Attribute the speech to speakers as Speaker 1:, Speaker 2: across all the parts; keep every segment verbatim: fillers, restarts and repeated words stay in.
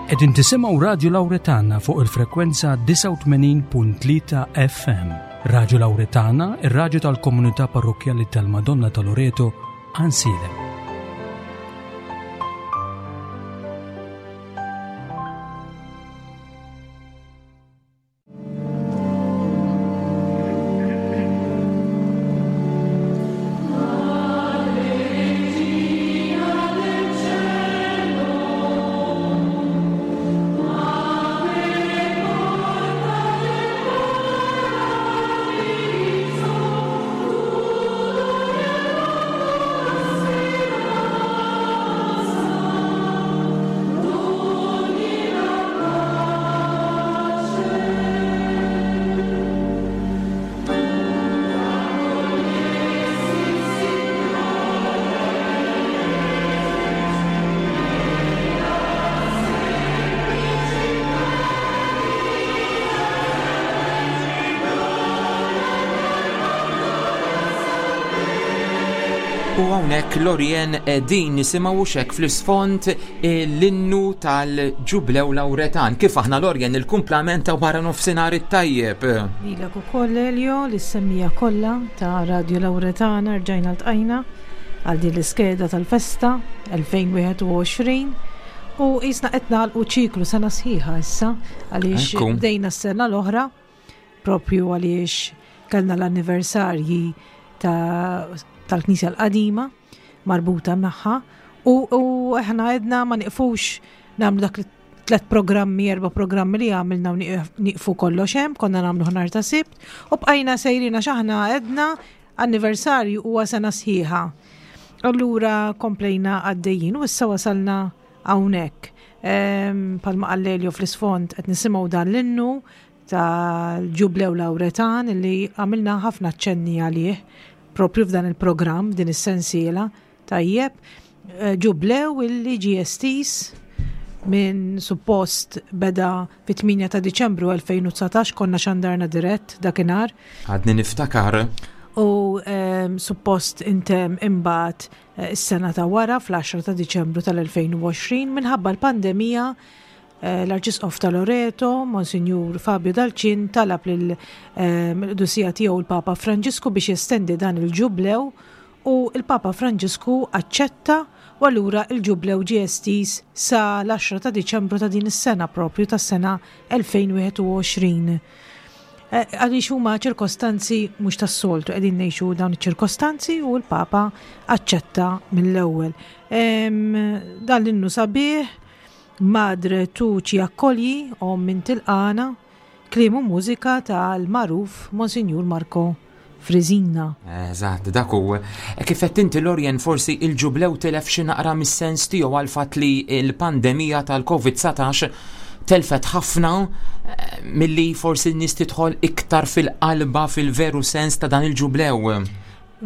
Speaker 1: Qegħdin tisimgħu Radio Lauretana fuq il-frekwenza disgħa u tmenin punt tlieta F M. Radio Lauretana, ir-raġu tal-komunità parrokkjali tal-Madonna ta' Loreto, Għajnsielem.
Speaker 2: U hawnhekk, Lorien, din nisimgħu xek fl-isfond l-innu tal-Ġublew Lauretan. Kif aħna, Lorien, il-kumplament ta' wara nofsinhar it-tajjeb?
Speaker 3: Lilek ukoll, Elio, lis-semmiegħa kollha ta' Radio Lauretana. Rġajna ltqajna għal din l-iskeda tal-festa elfejn u wieħed u għoxrin u qisna qed nagħlqu ċiklu sena sħiħa issa għaliex
Speaker 2: Ekku.
Speaker 3: bdejna s-sena l-oħra propju għaliex kellna l-anniversarji ta' tal-Knisja l-qadima marbuta magħha u, u aħna għedna ma niqfux nagħmlu dak li tlet programmi, erba programmi li għamilna u nieqf- nieqfu kollox hemm, konna nagħmlu nhar ta' Sibt u bqajna sejrina x'aħna għedna anniversarju huwa sena sħiħa. Allura komplejna għaddejjin u issa wasalna hawnhekk. Ehm, Bħalma qal Elio, fl-isfond qed nisimgħu dan l-innu tal-Ġublew Lauretan li għamilna ħafna ċenni għalih propju f'dan il-programm, din is-sensiela. Tajjeb, eh, ġublew illi ġie estiż minn suppost beda fit-tmienja ta' Diċembru elfejn u dsatax, konna xandarna dirett dakinhar.
Speaker 2: Għadni niftakar.
Speaker 3: U um, suppost intemm imbagħad eh, is-sena ta' wara fl-għaxra ta' Diċembru tal-elfejn u għoxrin. Minħabba l-pandemija, eh, l-Arċisqof ta' Loreto, Monsinjur Fabio Dal Cin, talab lil ehm, l-Qdusija tiegħu l-Papa Franġisku biex jestendi dan il-ġublew u il-Papa Franġisku aċċetta u allura il-ġublew ġie estiż sa l-għaxra ta' Diċembru ta' din is-sena, propju tas-sena elfejn u wieħed u għoxrin. Eh, Għaliex huma ċirkostanzi mhux tas-soltu, qegħdin ngħixu dawn iċ-ċirkostanzi u l-Papa aċċetta mill-ewwel. Em, Dan l-innu sabiħ, "Madre tu ci accogli", Omm int tilqagħna, kliem u mużika tal-magħruf Monsinjur Marco Frisina.
Speaker 2: Eżatt, dak hu. E kif qed inti, Lorien, forsi il-ġublew tilef xi naqra mis-sens tiegħu għal fatt li l-pandemija tal-Covid dsatax telfet ħafna eh, milli forsi n-nies tidħol iktar fil-qalba, fil-veru sens ta' dan il-ġublew.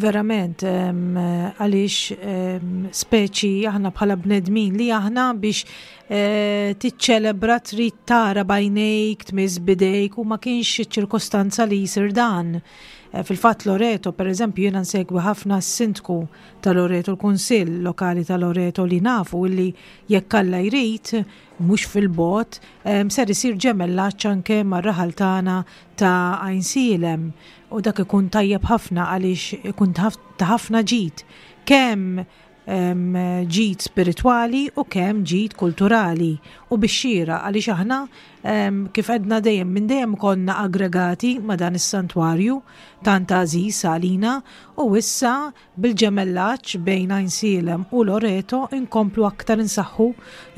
Speaker 3: Verament, em, għaliex em, speċi aħna bħala bnedmin li aħna biex eh, tiċċelebra trid tara b'għajnejk, tmiss b'idejk u ma kienx ċirkostanza li jisir dan. Eh, Fil-fatt Loreto, per eżempju, jiena nsegwi ħafna s-sindku ta' Loreto, l-Kunsill lokali ta' Loreto, li nafu illi jekk Alla jrid, mhux fil-bogħod, em, ser isir ġemellaġġ anke mar-raħal tagħna ta' Għajnsielem u dak ikun tajjeb ħafna għaliex ikun ta' ħafna ġid, kemm em, ġid spiritwali u kemm ġid kulturali, u bix-xieraq għaliex aħna em, kif għedna dejjem, minn dejjem konna aggregati ma' dan is-santwarju tant għażiż għalina u issa bil-ġemellaġġ bejn Għajnsielem u Loreto inkomplu aktar insaħħu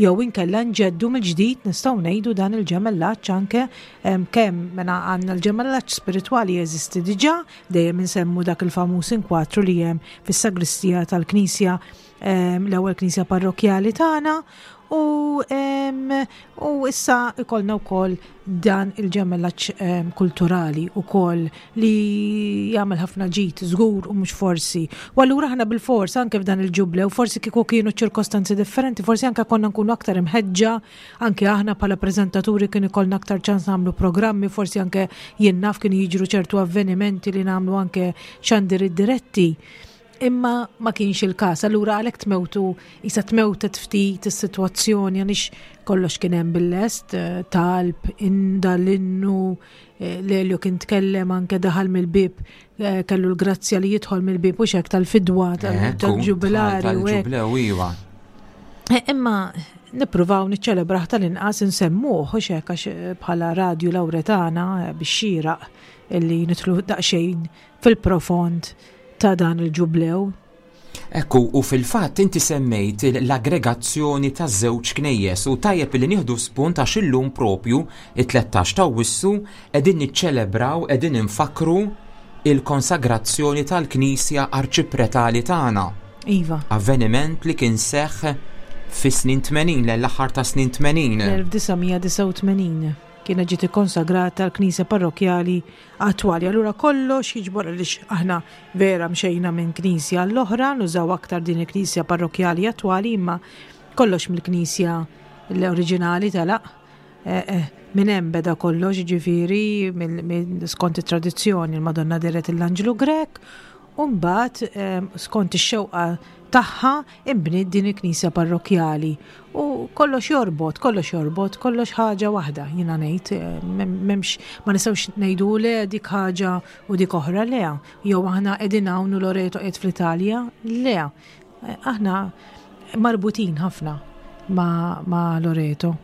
Speaker 3: jew inkella nġeddu mill-ġdid, nistgħu ngħidu, dan il-ġemellaġġ anke em, kemm mena għandna l-ġemellaġġ spiritwali jeżisti diġà, dejjem insemmu dak il-famuż inkwatru li hemm fis-sagristija tal-Knisja, em, l-ewwel knisja parrokjali tagħna u, em, u issa ikollna wkoll dan il-ġemellaġġ em, kulturali wkoll li jagħmel ħafna ġid żgur u mhux forsi. U allura aħna bil-fors anke f'dan il-ġublew, forsi kieku kienu ċirkostanzi differenti, forsi anke konna nkunu aktar imħeġġa, anke aħna bħala preżentaturi kien ikollna aktar ċans nagħmlu programmi, forsi anke jien naf kienu jiġru ċertu avvenimenti li nagħmlu anke xandir diretti. Imma ma kienx il-każ, allura għalhekk tmewtu isa tmewtet ftit is-sitwazzjoni għaliex kollox kien hemm bil-lest, eh, talb, inda l-innu, eh, Lelio kien tkellem anke daħal mill-bib, eh, kellu l-grazzja li jidħol mill-bib u xek tal-fidwa, tal-ġubilari.
Speaker 2: Tal-ġublew, iva.
Speaker 3: Imma nippruvaw niċċelebraħ tal-inqas nsemmuh u xek għax bħala Radju Lawretana biex xieraq illi nidħlu daqsxejn fil-profond ta' dan il-ġublew.
Speaker 2: Ekku, u fil-fatt inti semmejt l-aggregazzjoni ta' żewġ knejjes u tajjeb li nieħdu spunt għax illum propju it-tlettax ta' Awwissu qegħdin niċċelebraw, qegħdin infakru il-konsagrazzjoni tal-Knisja Arċipretali tagħna.
Speaker 3: Iva.
Speaker 2: Avveniment li kien seħħ fis-snin tmenin, l-aħħar ta' snin tmenin.
Speaker 3: L-elf disa' mija disgħa u tmenin kienet ġiet ikkonsagrata l-Knisja Parrokjali attwali. Allura kollox jiġbor għaliex aħna vera mxejna minn knisja l-oħra, nużaw aktar din il-Knisja Parrokjali attwali, imma kollox mill-Knisja l-oriġinali telaq. Eh, eh, minn hemm beda kollox, ġifieri, mill-, mill-, skont it-tradizzjoni l-Madonna deret l-Anġlu Grek, u mbagħad, eh, skont ix-xewqa tagħha imbniet din il-Knisja Parrokjali. U kollox jorbot, kollox jorbot, kollox ħaġa waħda, jiena ngħid, eh, mem-, memx, ma nistgħux ngħidu le dik ħaġa u dik oħra, le. Jew aħna qegħdin hawn u Loreto qiegħed fl-Italja, le. Eh, aħna marbutin ħafna ma, ma' Loreto.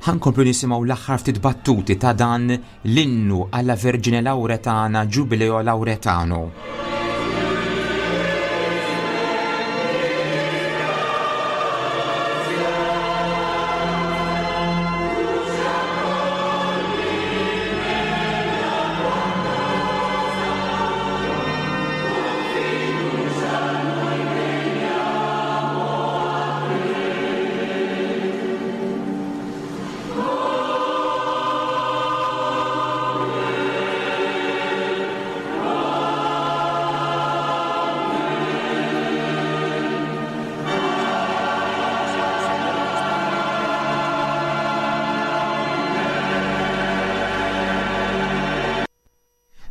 Speaker 2: Ħankomplu nisimgħu l-aħħar ftit battuti ta' dan l-innu alla Vergine Lauretana Giubileo Lauretano.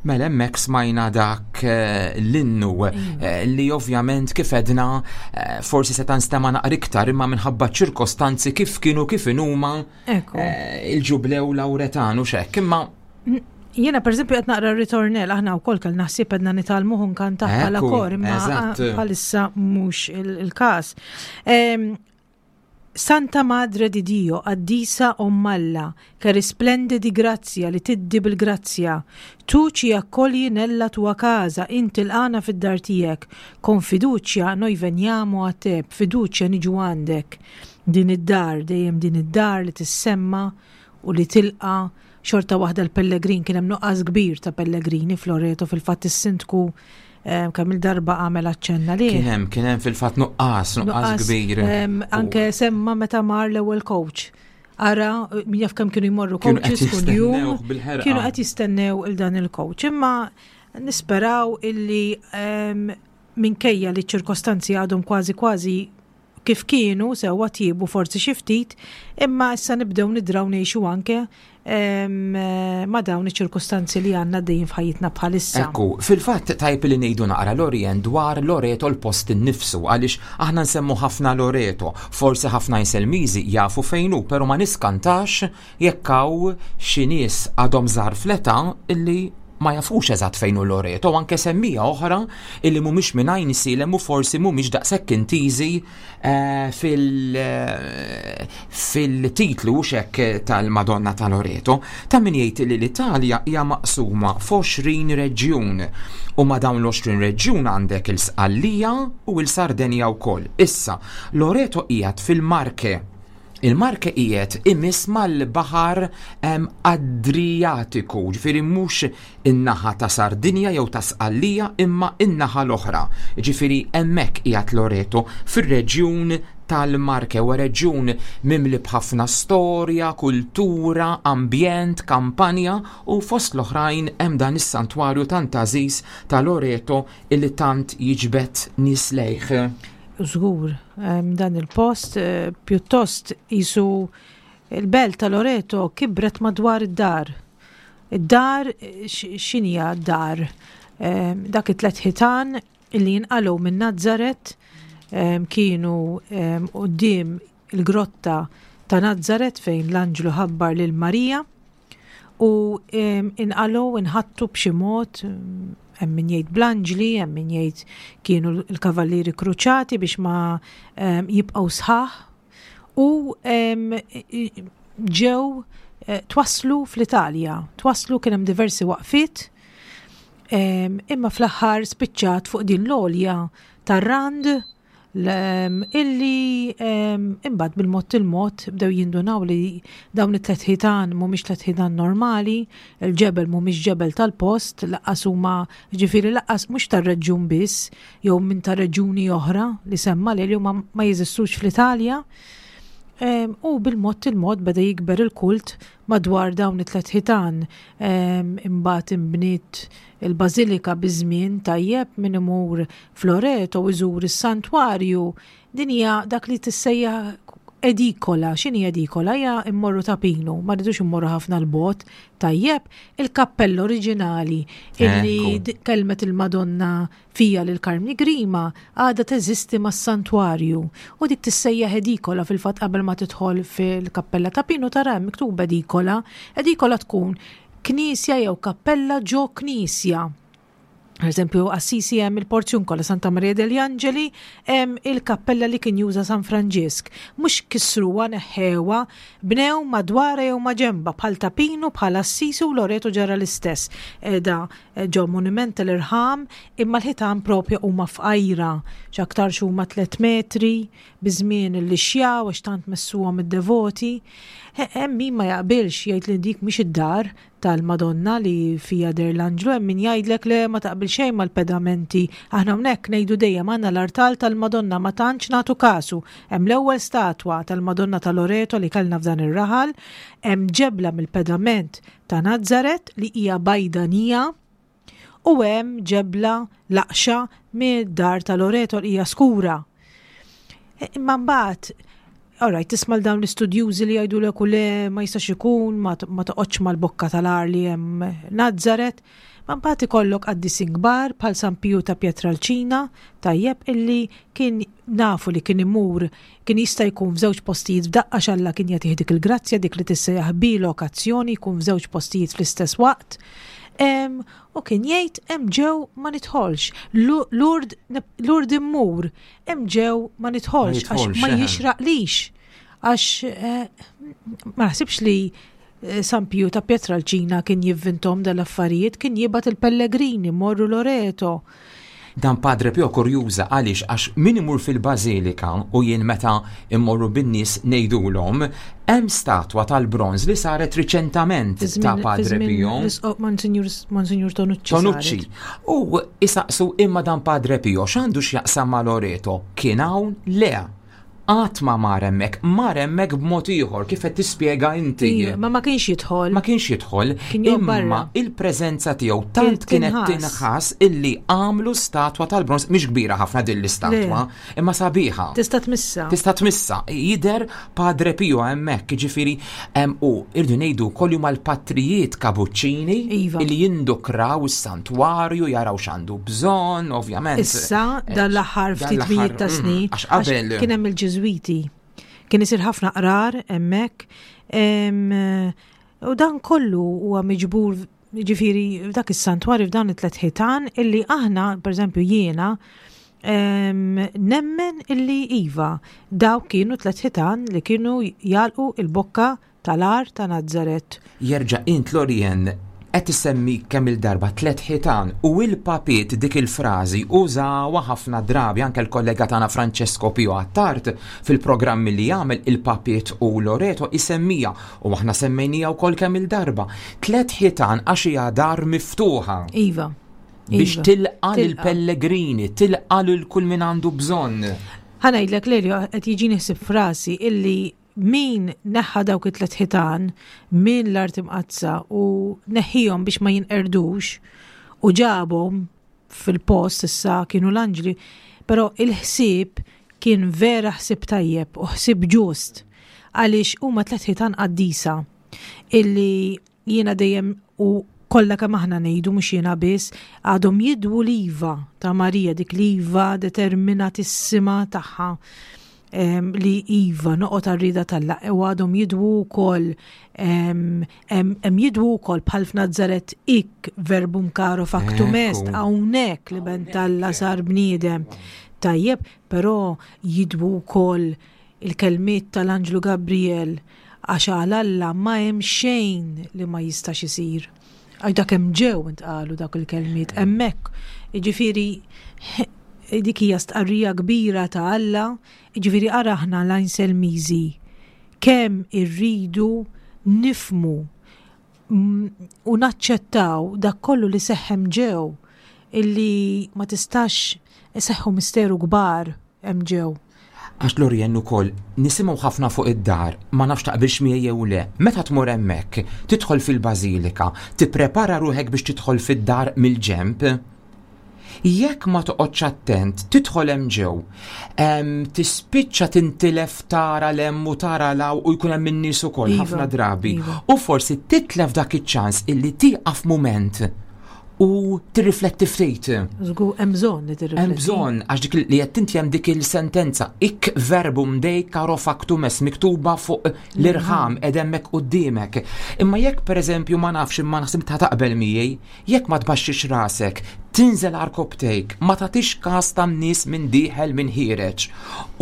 Speaker 2: Mela hemmhekk smajna dak, eh, l-innu, eh, li ovvjament kif edna, eh, forsi se tanstema' naqra iktar imma minħabba ċirkostanzi kif kienu kif inhuma,
Speaker 3: Ekku.
Speaker 2: eh, il-ġublew Lauretanu x'hekk. Imma
Speaker 3: N-, jiena pereżempju qed naqra r-ritornell, aħna wkoll kellna ħsieb qedna nitgħallmuh nkantah bħala
Speaker 2: Ekku,
Speaker 3: kor, imma
Speaker 2: eżatt.
Speaker 3: bħalissa mhux il-, il-każ. Ehm, Santa Madre di Dio, qaddisa Ommalla, che risplende di grazia, li tiddi bil-grazzja, tu ci accogli nella tua casa, inti l-għana fid-dar tiegħek, con fiducia noi veniamo a te, b'fiduċja niġu għandek. Din id-dar, dejjem din id-dar li tissemma u li tilqa xorta waħda l-pellegrin, kien hemm nuqqas kbir ta' pellegrini f'Loreto, fil-fatt is-sindku Em, kemm il-darba għamel aċċenna li.
Speaker 2: Kien hemm, kien hemm fil-fatt nuqqas, nuqqas
Speaker 3: Nuqqas,
Speaker 2: kbir.
Speaker 3: em, anke semma meta mar l-ewwel coach. Ara, min jaf kemm kienu jmorru
Speaker 2: Kienu qed
Speaker 3: coaches kuljum,
Speaker 2: jistennew bil-ħerqa.
Speaker 3: kienu qed jistennew il dan il-coach. Imma nisperaw illi, em, minkejja li ċ-ċirkostanzi għadhom kważi kważi kif kienu, sewwa tjiebu forsi xi ftit, imma issa nibdew nidraw ngħixu anke, em, ma' dawn iċ-ċirkostanzi li għandna dejjem f'ħajjitna bħalissa.
Speaker 2: Ekku, fil-fatt tajb li ngħidu naqra Lorien dwar Loreto l-post innifsu, għaliex aħna nsemmu ħafna Loreto, forsi ħafna Inselmiżi jafu fejn hu, però ma niskantax jekk hawn xi nies għadhom żgħar fl-età illi ma jafux eżatt fejn hu Loreto, anke semmija oħra illi mhumiex minn Għajnsielem u forsi mhumiex daqshekk intiżi, eh, fil-, eh, fil-titlu xek tal-Madonna ta' Loreto. Ta' min jgħid li l-Italja hija maqsuma f'għoxrin reġjun u ma' dawn l-għoxrin reġjun għandek il-Sqallija u l-Sardenja wkoll. Issa, Loreto qiegħed fil-Marche. Il-Marche qiegħed imiss mal-baħar, em, Adriatiku, ġifieri mhux in-naħa ta' Sardinja jew ta' Sqallija imma in-naħa l-oħra. Ġifieri hemmhekk qiegħed Loreto fir-reġjun tal-Marche, huwa reġjun mimli b'ħafna storja, kultura, ambjent, kampanja u fost l-oħrajn hemm dan is-santwarju tant għażiż ta' Loreto illi tant jiġbed nies lejh.
Speaker 3: Żgur, em, dan il-post, eh, pjuttost isu il-belt ta' Loreto kibret madwar id-dar. Id-dar, eh, x-, x'inhija d-dar? Em, dak it-tlet ħitan illi jinqalgħu minn Nazzaret, kienu quddiem il-grotta ta' Nazzaret fejn l-anġlu ħabbar lil Marija u inqalgħu, inħattu b'xi mod, hemm min jgħid bl-anġli, hemm min jgħid kienu l-kavallieri kruċati biex ma jibqgħu sħaħ, u ġew eh, twaslu fl-Italja. Twaslu, kien hemm diversi waqfiet, imma fl-aħħar spiċċat fuq din l-għolja tar-Rand, illi imbagħad bil-mod il-mod bdew jindunaw li dawn it-tlet ħitan mhumiex tlet ħitan normali, il-ġebel mhumiex ġebel tal-post, lanqas huma, ġifieri lanqas mhux tar-reġjun biss jew minn ta' reġjuni oħra li semma li huma ma jeżistux fl-Italja. U bil-mod il-mod beda jikber il-kult madwar dawn it-tlet ħitan. Imbagħad inbniet il-bażilika biż-żmien, tajjeb, min imur f'Loreto u iżur is-santwarju. Din hija dak li tissejjaħ edikola. X'inhi edikola? Hija immorru Ta' Pinu, ma rridux immorru ħafna 'l bogħod, tajjeb, il-kappella oriġinali illi kelmet il-Madonna fija lil Karmni Grima għadha teżisti mas-santwarju u dik tissejjaħ edikola. Fil-fatt, qabel ma tidħol fil-kappella Ta' Pinu tara miktub edikola. Edikola tkun knisja jew kappella ġo knisja. Per eżempju, Assisi hemm il-Porziuncola, Santa Maria degli Angeli, hemm il-kappella li kien juża San Franġisk. Mhux kisruha, neħħewha, bnew madwara jew maġenba, bħal Ta' Pinu, bħal Assisi, u Loreto ġara l-istess. Da ġo monument tal-irħam, imma l-ħitan propja huma fqajra, x'aktarx huma tliet metri, biż-żmien li xjaw għax tant messuhom id-devoti. Hemm min ma jaqbilx, jgħid li dik mhix id-dar tal-Madonna li fija deher l-anġlu, hemm min jgħidlek le, ma taqbil xejn mal-pedamenti. Aħna hawnhekk ngħidu dejjem għandna l-artal tal-Madonna, ma tantx nagħtu kasu. Hemm l-ewwel statwa tal-Madonna ta' Loreto li kellna f'dan ir-raħal, hemm ġebla mill-pedament ta' Nazzaret li hija bajdanija u hemm ġebla laqxa mid-dar ta' Loreto li hija skura. Imma mbagħad, alright, tisma' dawn l-istudjużi li jgħidu l le, ma jistax ikun, ma toqgħodx mal-bokka tal-għar li hemm Nazzaret. Ma mbagħad ikollok qaddisin kbar bħal San Piju ta' Pietralcina, tajjeb, illi kien nafu li kien imur, kien jista' jkun f'żewġ postijiet f'daqqa, x'Alla kien jagħtih dik il-grazzja, dik li tissejjaħ bilokazzjoni, jkun f'żewġ postijiet fl-istess waqt. U kien jgħid: "Hemm ġew ma nidħolx. Lourdes immur, hemm ġew ma nidħolx għax ma jixraqlix." Għax eh, ma naħsibx li eh, San Piju ta' Pietralcina kien jivvintom dal-affarijiet, kien jibgħat il-pellegrini morru Loreto.
Speaker 2: Dan Padre Pio kurjuża għaliex, għax min imur fil-Bażilika, u jien meta immorru bin-nies ngħidulhom hemm statwa tal-bronż li saret riċentament ta' Padre Pio.
Speaker 3: Monsignor Tonucci.
Speaker 2: Tonucci. U isaqsu: "Imma dan Padre Pio x'għandu x'jaqsam ma' Loreto? Kien hawn?" Le, qatt ma mar hemmhekk, mar hemmhekk b'mod ieħor kif qed tispjega inti.
Speaker 3: Ma ma kienx jidħol.
Speaker 2: Ma kienx jidħol, imma il-preżenza tiegħu tant kienet tinħass illi għamlu statwa tal-bronż, mhix kbira ħafna din l-istatwa, imma sabiħa.
Speaker 3: Tista' tmissa.
Speaker 2: Tista' tmissa. Jidher Padre Pio hemmhekk, jiġifieri u irdu ngħidu kollu mal-patrijiet kabuċċini
Speaker 3: iva.
Speaker 2: illi jindukraw is-santwarju, jaraw x'għandu bżonn, ovvjament.
Speaker 3: Issa dal-aħħar ftit mijiet ta' mm, snin.
Speaker 2: Għax qabel
Speaker 3: kien hemm il-Ġiżwiti. Kien isir ħafna qrar hemmhekk. U dan kollu huwa miġbur, ġifieri dak is-santwarju f'dan it-tlet ħitan illi aħna, per eżempju jiena, nemmen illi iva, daw kienu tlet ħitan li kienu jagħlqu il-bokka tal-għar ta' Nazzaret.
Speaker 2: Jerġa' int, Lorien, qed issemmi kemm il-darba tlet ħitan u il-papiet dik il-frażi użawha ħafna drabi, anke l-kollega tagħna Francesco Pio Attard fil-programmi li jagħmel, il-papiet u Loreto, isemmija u aħna semmejnija wkoll kemm il-darba. Tlet ħitan għax hija dar miftuħa.
Speaker 3: Iva.
Speaker 2: Biex
Speaker 3: iva.
Speaker 2: tilqa lill-pellegrini, tilqa lil kull min għandu bżonn.
Speaker 3: Ħa ngħidlek, Lelio, qed jiġi ħsieb f'rasi illi min neħħa dawk it-tlet ħitan minn l-art imqaddsa u neħħihom biex ma jinqerdux u ġabhom fil-post, issa kienu l-anġli, però il-ħsieb kien vera ħsieb tajjeb u ħsieb ġust għaliex huma tlet ħitan qaddisa illi jiena dejjem u Kollha kemm aħna ngħidu, mhux jiena biss, għadhom jidwu l-iva ta' Marija, dik l-iva determinatissima tagħha li iva noqgħod għar-rieda t'Alla, u għadhom jidwu wkoll hemm jidwu wkoll bħal f'Nazzaret hic verbum caro factum est, hawnhekk l-Iben t'Alla sar bniedem. Tajjeb, però jidwu wkoll il-kelmiet tal-Anġlu Gabriel, għax għal Alla ma hemm xejn li ma jistax isir. Għax dak hemm ġew intqalu dak il-kelmiet hemmhekk. Jiġifieri dik hija stqarrija kbira ta' Alla, jiġifieri ara aħna l-Għajnselmiżi kemm irridu nifhmu u naċċettaw dak kollu li seħħ hemm ġew, illi ma tistax iseħħu misteru kbar hemm ġew.
Speaker 2: Għax Lorien ukoll nisimgħu ħafna fuq id-dar, ma nafx taqbilx miegħi jew le. Meta tmur hemmhekk, tidħol fil-bażilika, tipprepara ruħek biex tidħol fid-dar mill-ġemp. Jekk ma toqgħodx attent, tidħol hemm ġew, tispiċċa tintilef tara 'l hemm u tara 'l hawn u jkun hemm in-nies ukoll
Speaker 3: Iva,
Speaker 2: ħafna drabi.
Speaker 3: Iva.
Speaker 2: U forsi titlef dak iċ-ċans illi tieqaf mument u tirrifletti ftit.
Speaker 3: Żgur, hemm bżonn li tirrifletti.
Speaker 2: Hemm bżonn, għax dik li qed inti hemm dik il-sentenza, hic verbum Dei caro factum est, miktuba fuq l-irħam qed hemmhekk quddiemek. Imma jekk pereżempju ma nafx, imma naħseb ta' taqbel miegħi, jekk ma tbaxxix rasek, tinżel għarkopptejk, ma tagħtix każ tan-nies minn dieħel minn ħiereġ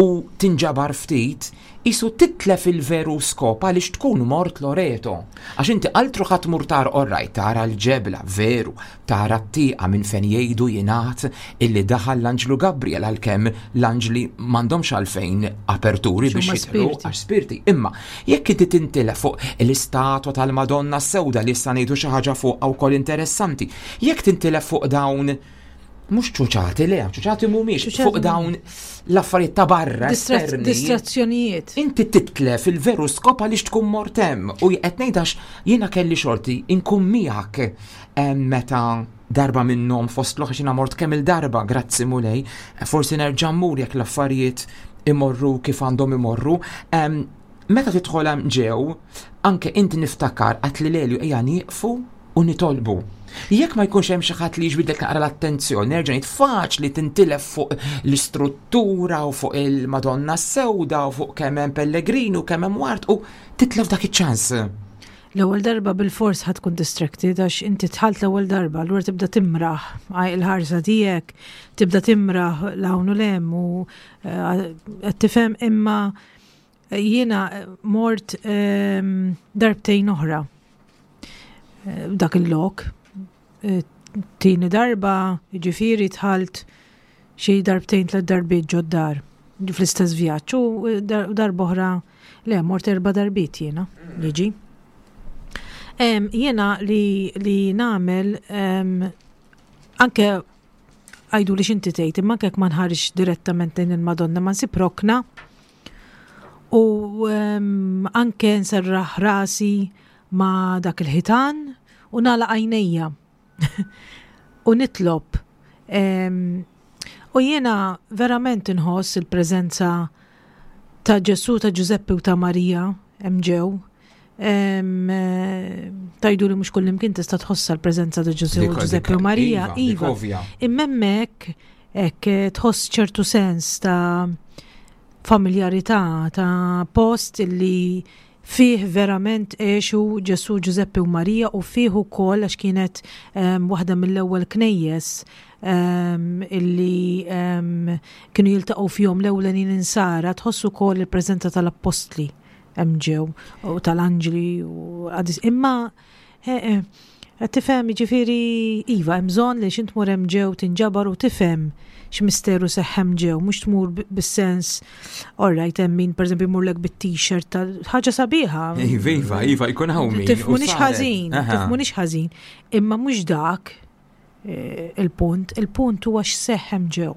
Speaker 2: u tinġabar ftit, isu titlef il-veru skop għaliex tkun mort Loreto. Għax inti altru ħadd tmur tara, orrajt, tara l-ġebla, veru, tara t-tieqa minn fejn jgħidu jingħad illi daħal l-Anġlu Gabriel, għalkemm l-anġli m'għandhomx għalfejn aperturi biex
Speaker 3: X'huma
Speaker 2: jidħlu,
Speaker 3: spirti.
Speaker 2: għax spirti. Imma jekk inti tintilef fuq l-istatwa tal-Madonna Sewda li issa ngħidu xi ħaġa fuq wkoll interessanti, jekk tintilef fuq dawn mhux ċuċati, le, ċuċati mhumiex,
Speaker 3: Ċuċati
Speaker 2: fuq dawn l-affarijiet ta' barra,
Speaker 3: Distra-
Speaker 2: esterni.
Speaker 3: Distrazzjonijiet.
Speaker 2: Inti titlef il-veru skop għaliex tkun mort hemm. U qed ngħid għax jiena kelli xorti inkun miegħek em, meta darba minnhom fost l-oħra xina mort kemm il-darba, grazzi Mulej, forsi nerġa' mmur jekk l-affarijiet imorru kif għandhom imorru. Em, Meta tidħol hemm ġew, anke inti niftakar għedt li Lelju ejja nieqfu u nitolbu. Jekk ma jkunx hemm xi ħadd li jiġbidlek naqra l-attenzjoni, nerġa' ngħid faċli tintilef fuq l-istruttura u fuq il-Madonna Sewda u fuq kemm hemm pellegrini u kemm hemm ward u titlef dak iċ-ċans.
Speaker 3: L-ewwel darba bil-fors ħa tkun distracted għax inti dħalt l-ewwel darba, allura tibda timraħ għaj il-ħarsa tiegħek, tibda timraħ 'l hawn u 'l hemm u eh, qed tifhem, imma jiena mort ehm, darbtejn oħra eh, dak il-lok. Eh, Tieni darba, ġifieri dħalt xi darbtejn, tliet darbiet ġod-dar fl-istess vjaġġ u eh, dar- darba oħra, le, mort erba' darbiet jiena, jiġi. Em, Jiena li, li nagħmel em, anke għajdu li x'inti tgħid, imma anke jekk ma nħarisx direttament lejn il-Madonna, ma nsib rokna u em, anke nserraħ rasi ma dak il-ħitan u nagħlaq għajnejja u nitlob. Em, u jiena verament inħoss il-preżenza ta' Ġesu, ta' Ġużeppi u ta' Marija hemm ġew. Em, eh, Tgħidu li mhux kullimkien tista' tħossa l-preżenza ta' Ġesu,
Speaker 2: Dik-
Speaker 3: Ġużeppi u
Speaker 2: dik-
Speaker 3: Marija.
Speaker 2: Iva, dik
Speaker 3: Iva.
Speaker 2: ovvja.
Speaker 3: Imma hemmhekk hekk eh, tħoss ċertu sens ta' familjarità, ta' post illi fih verament għexu Ġesu, Ġużeppi u Marija u fih ukoll għax kienet um, waħda mill-ewwel knejjes um, illi um, kienu jiltaqgħu fihom l-ewlenin insara, tħossu ukoll il-preżenza tal-appostli hemm ġew u tal-anġli u għadis. Imma eh, eh, qed tifhem, ġifieri iva, hemm bżonn li x'int tmur hemm ġew tinġabar u tifhem x'misteru seħħ hemm ġew, mhux tmur b- bis-sens alright, hemm min pereżempju jmurlek bit-t-shirt tal ħaġa sabiħa.
Speaker 2: Iva, iva, iva, jkun hawn min. u
Speaker 3: Tifhmunix
Speaker 2: saret.
Speaker 3: ħażin,
Speaker 2: Aha.
Speaker 3: tifhmunix ħażin, imma mhux dak eh, il-punt, il-punt huwa x'seħħ hemm ġew.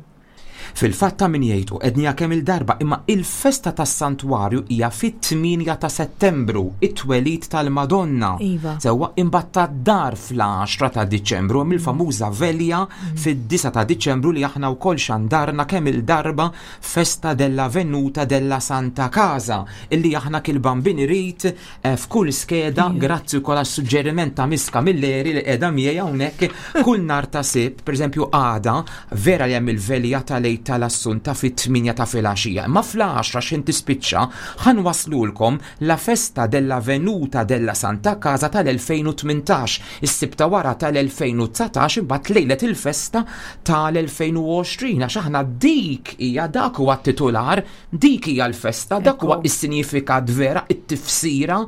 Speaker 2: Fil-fatt ta' min jgħidu għednieha kemm il-darba, imma il-festa tas-santwarju hija fit-tmienja ta' Settembru, it-twelid tal-Madonna.
Speaker 3: Iva.
Speaker 2: Sewwa, imbagħad tad-dar fl-għaxra ta' Diċembru hemm il-famuża velja fid-disgħa ta' Diċembru li aħna wkoll xandarna kemm il-darba, Festa della Venuta della Santa Casa, illi aħna kil-Bambin irid eh, f'kull skeda, grazzi wkoll għas-suġġeriment ta' Miska Milleri li qiegħda miegħi hawnhekk, kull nhar ta' Sibt, pereżempju għada, vera li hemm il-velja tal tal-Assunta fit-tmienja ta' filgħaxija. Imma fl-għaxra x'ħin tispiċċa ħa nwasslulkom la Festa della Venuta della Santa Casa tal-elfejn u tmintax, is-Sibt ta' wara tal-elfejn u dsatax, imbagħad lejlet il-festa tal-elfejn u għoxrin, għax aħna dik hija, dak huwa t-titular, dik hija l-festa, dak huwa
Speaker 3: Ekku.
Speaker 2: is-sinifikat vera, it-tifsira.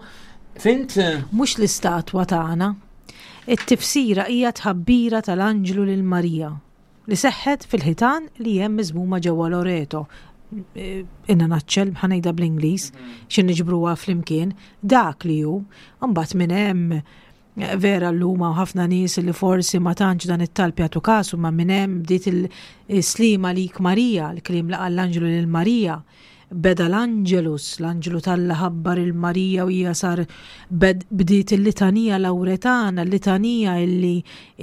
Speaker 2: Fhimt?
Speaker 3: Mhux l-istatwa tagħna. It-tifsira hija tħabbira tal-Anġlu lil Marija li seħħet fil-ħitan li hemm miżmuma ġewwa Loreto. Eh, In a nutshell, ħa ngħidha bl-Ingliż, xi niġbruha flimkien, dak li hu, mbagħad minn hemm eh, vera l-lum u ħafna nies li forsi ma tantx dan it-talb jagħtu kasu, ma minn hemm bdiet il-slima lik Marija, l-kliem li qal l-Anġlu lil Marija. Beda l-Angelus, l-Anġlu t'Alla ħabbar lil Marija u hija sar bed, bdiet il-litanija Lawretana, l-litanija illi,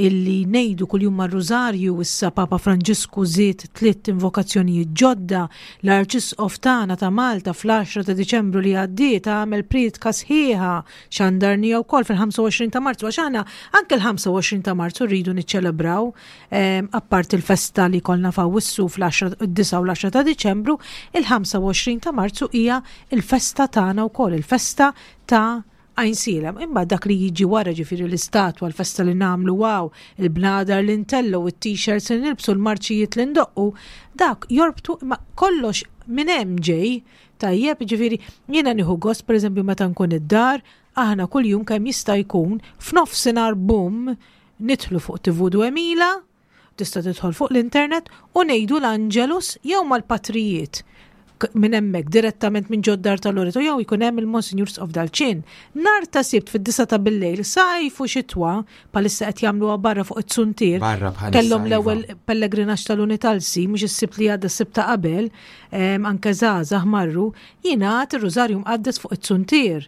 Speaker 3: illi ngħidu kuljum mar-Rużarju. Issa Papa Franġisku żied tliet invokazzjonijiet ġodda, l-Arċisqof tagħna ta' Malta fl-għaxra ta' Diċembru li għaddiet għamel priedka sħiħa, xandarnieha wkoll fil-ħamsa u għoxrin ta' Marzu, għax aħna anke l-ħamsa u għoxrin ta' Marzu rridu niċċelebraw, em, appart il-festa li kollna f'Awwissu fl-għaxra, id-disgħa u l-għaxra ta' Diċembru, il-ħamsa u għoxrin ta' Marzu hija il-festa tagħna wkoll, il-festa ta' Għajnsielem. Imma dak li jiġi wara, ġifieri l-istatwa, l-festa li nagħmlu wow, il-bnadar li ntellgħu, it-t-shirts li nilbsu, l-marċijiet li ndoqqu, dak jorbtu, imma kollox minn hemm ġej, tajjeb, ġifieri jiena nieħu gost, pereżempju, meta nkun id-dar, aħna kuljum kemm jista' jkun f'nofsinhar bum nidħlu fuq T V Duemila, tista' tidħol fuq l-internet u ngħidu l-Angelus jew mal-patrijiet K- minn hemmhekk direttament minn ġod-dar tal-Loreto jew jkun hemm il-Monsinjur Isqof Dalċin. Nhar ta' Sibt fid-disgħa ta' billejl, sajf u xitwa, bħalissa qed jagħmluha barra fuq it-suntier.
Speaker 2: Barra bħalissa,
Speaker 3: Kellhom
Speaker 2: iva.
Speaker 3: l-ewwel pellegrinaġġ tal-Unitalsi, mhux is-Sibt li għadda, s-Sibt ta' qabel, em, anke żgħażagħ marru, jingħad ir-Rużarju mqaddes fuq it-suntier.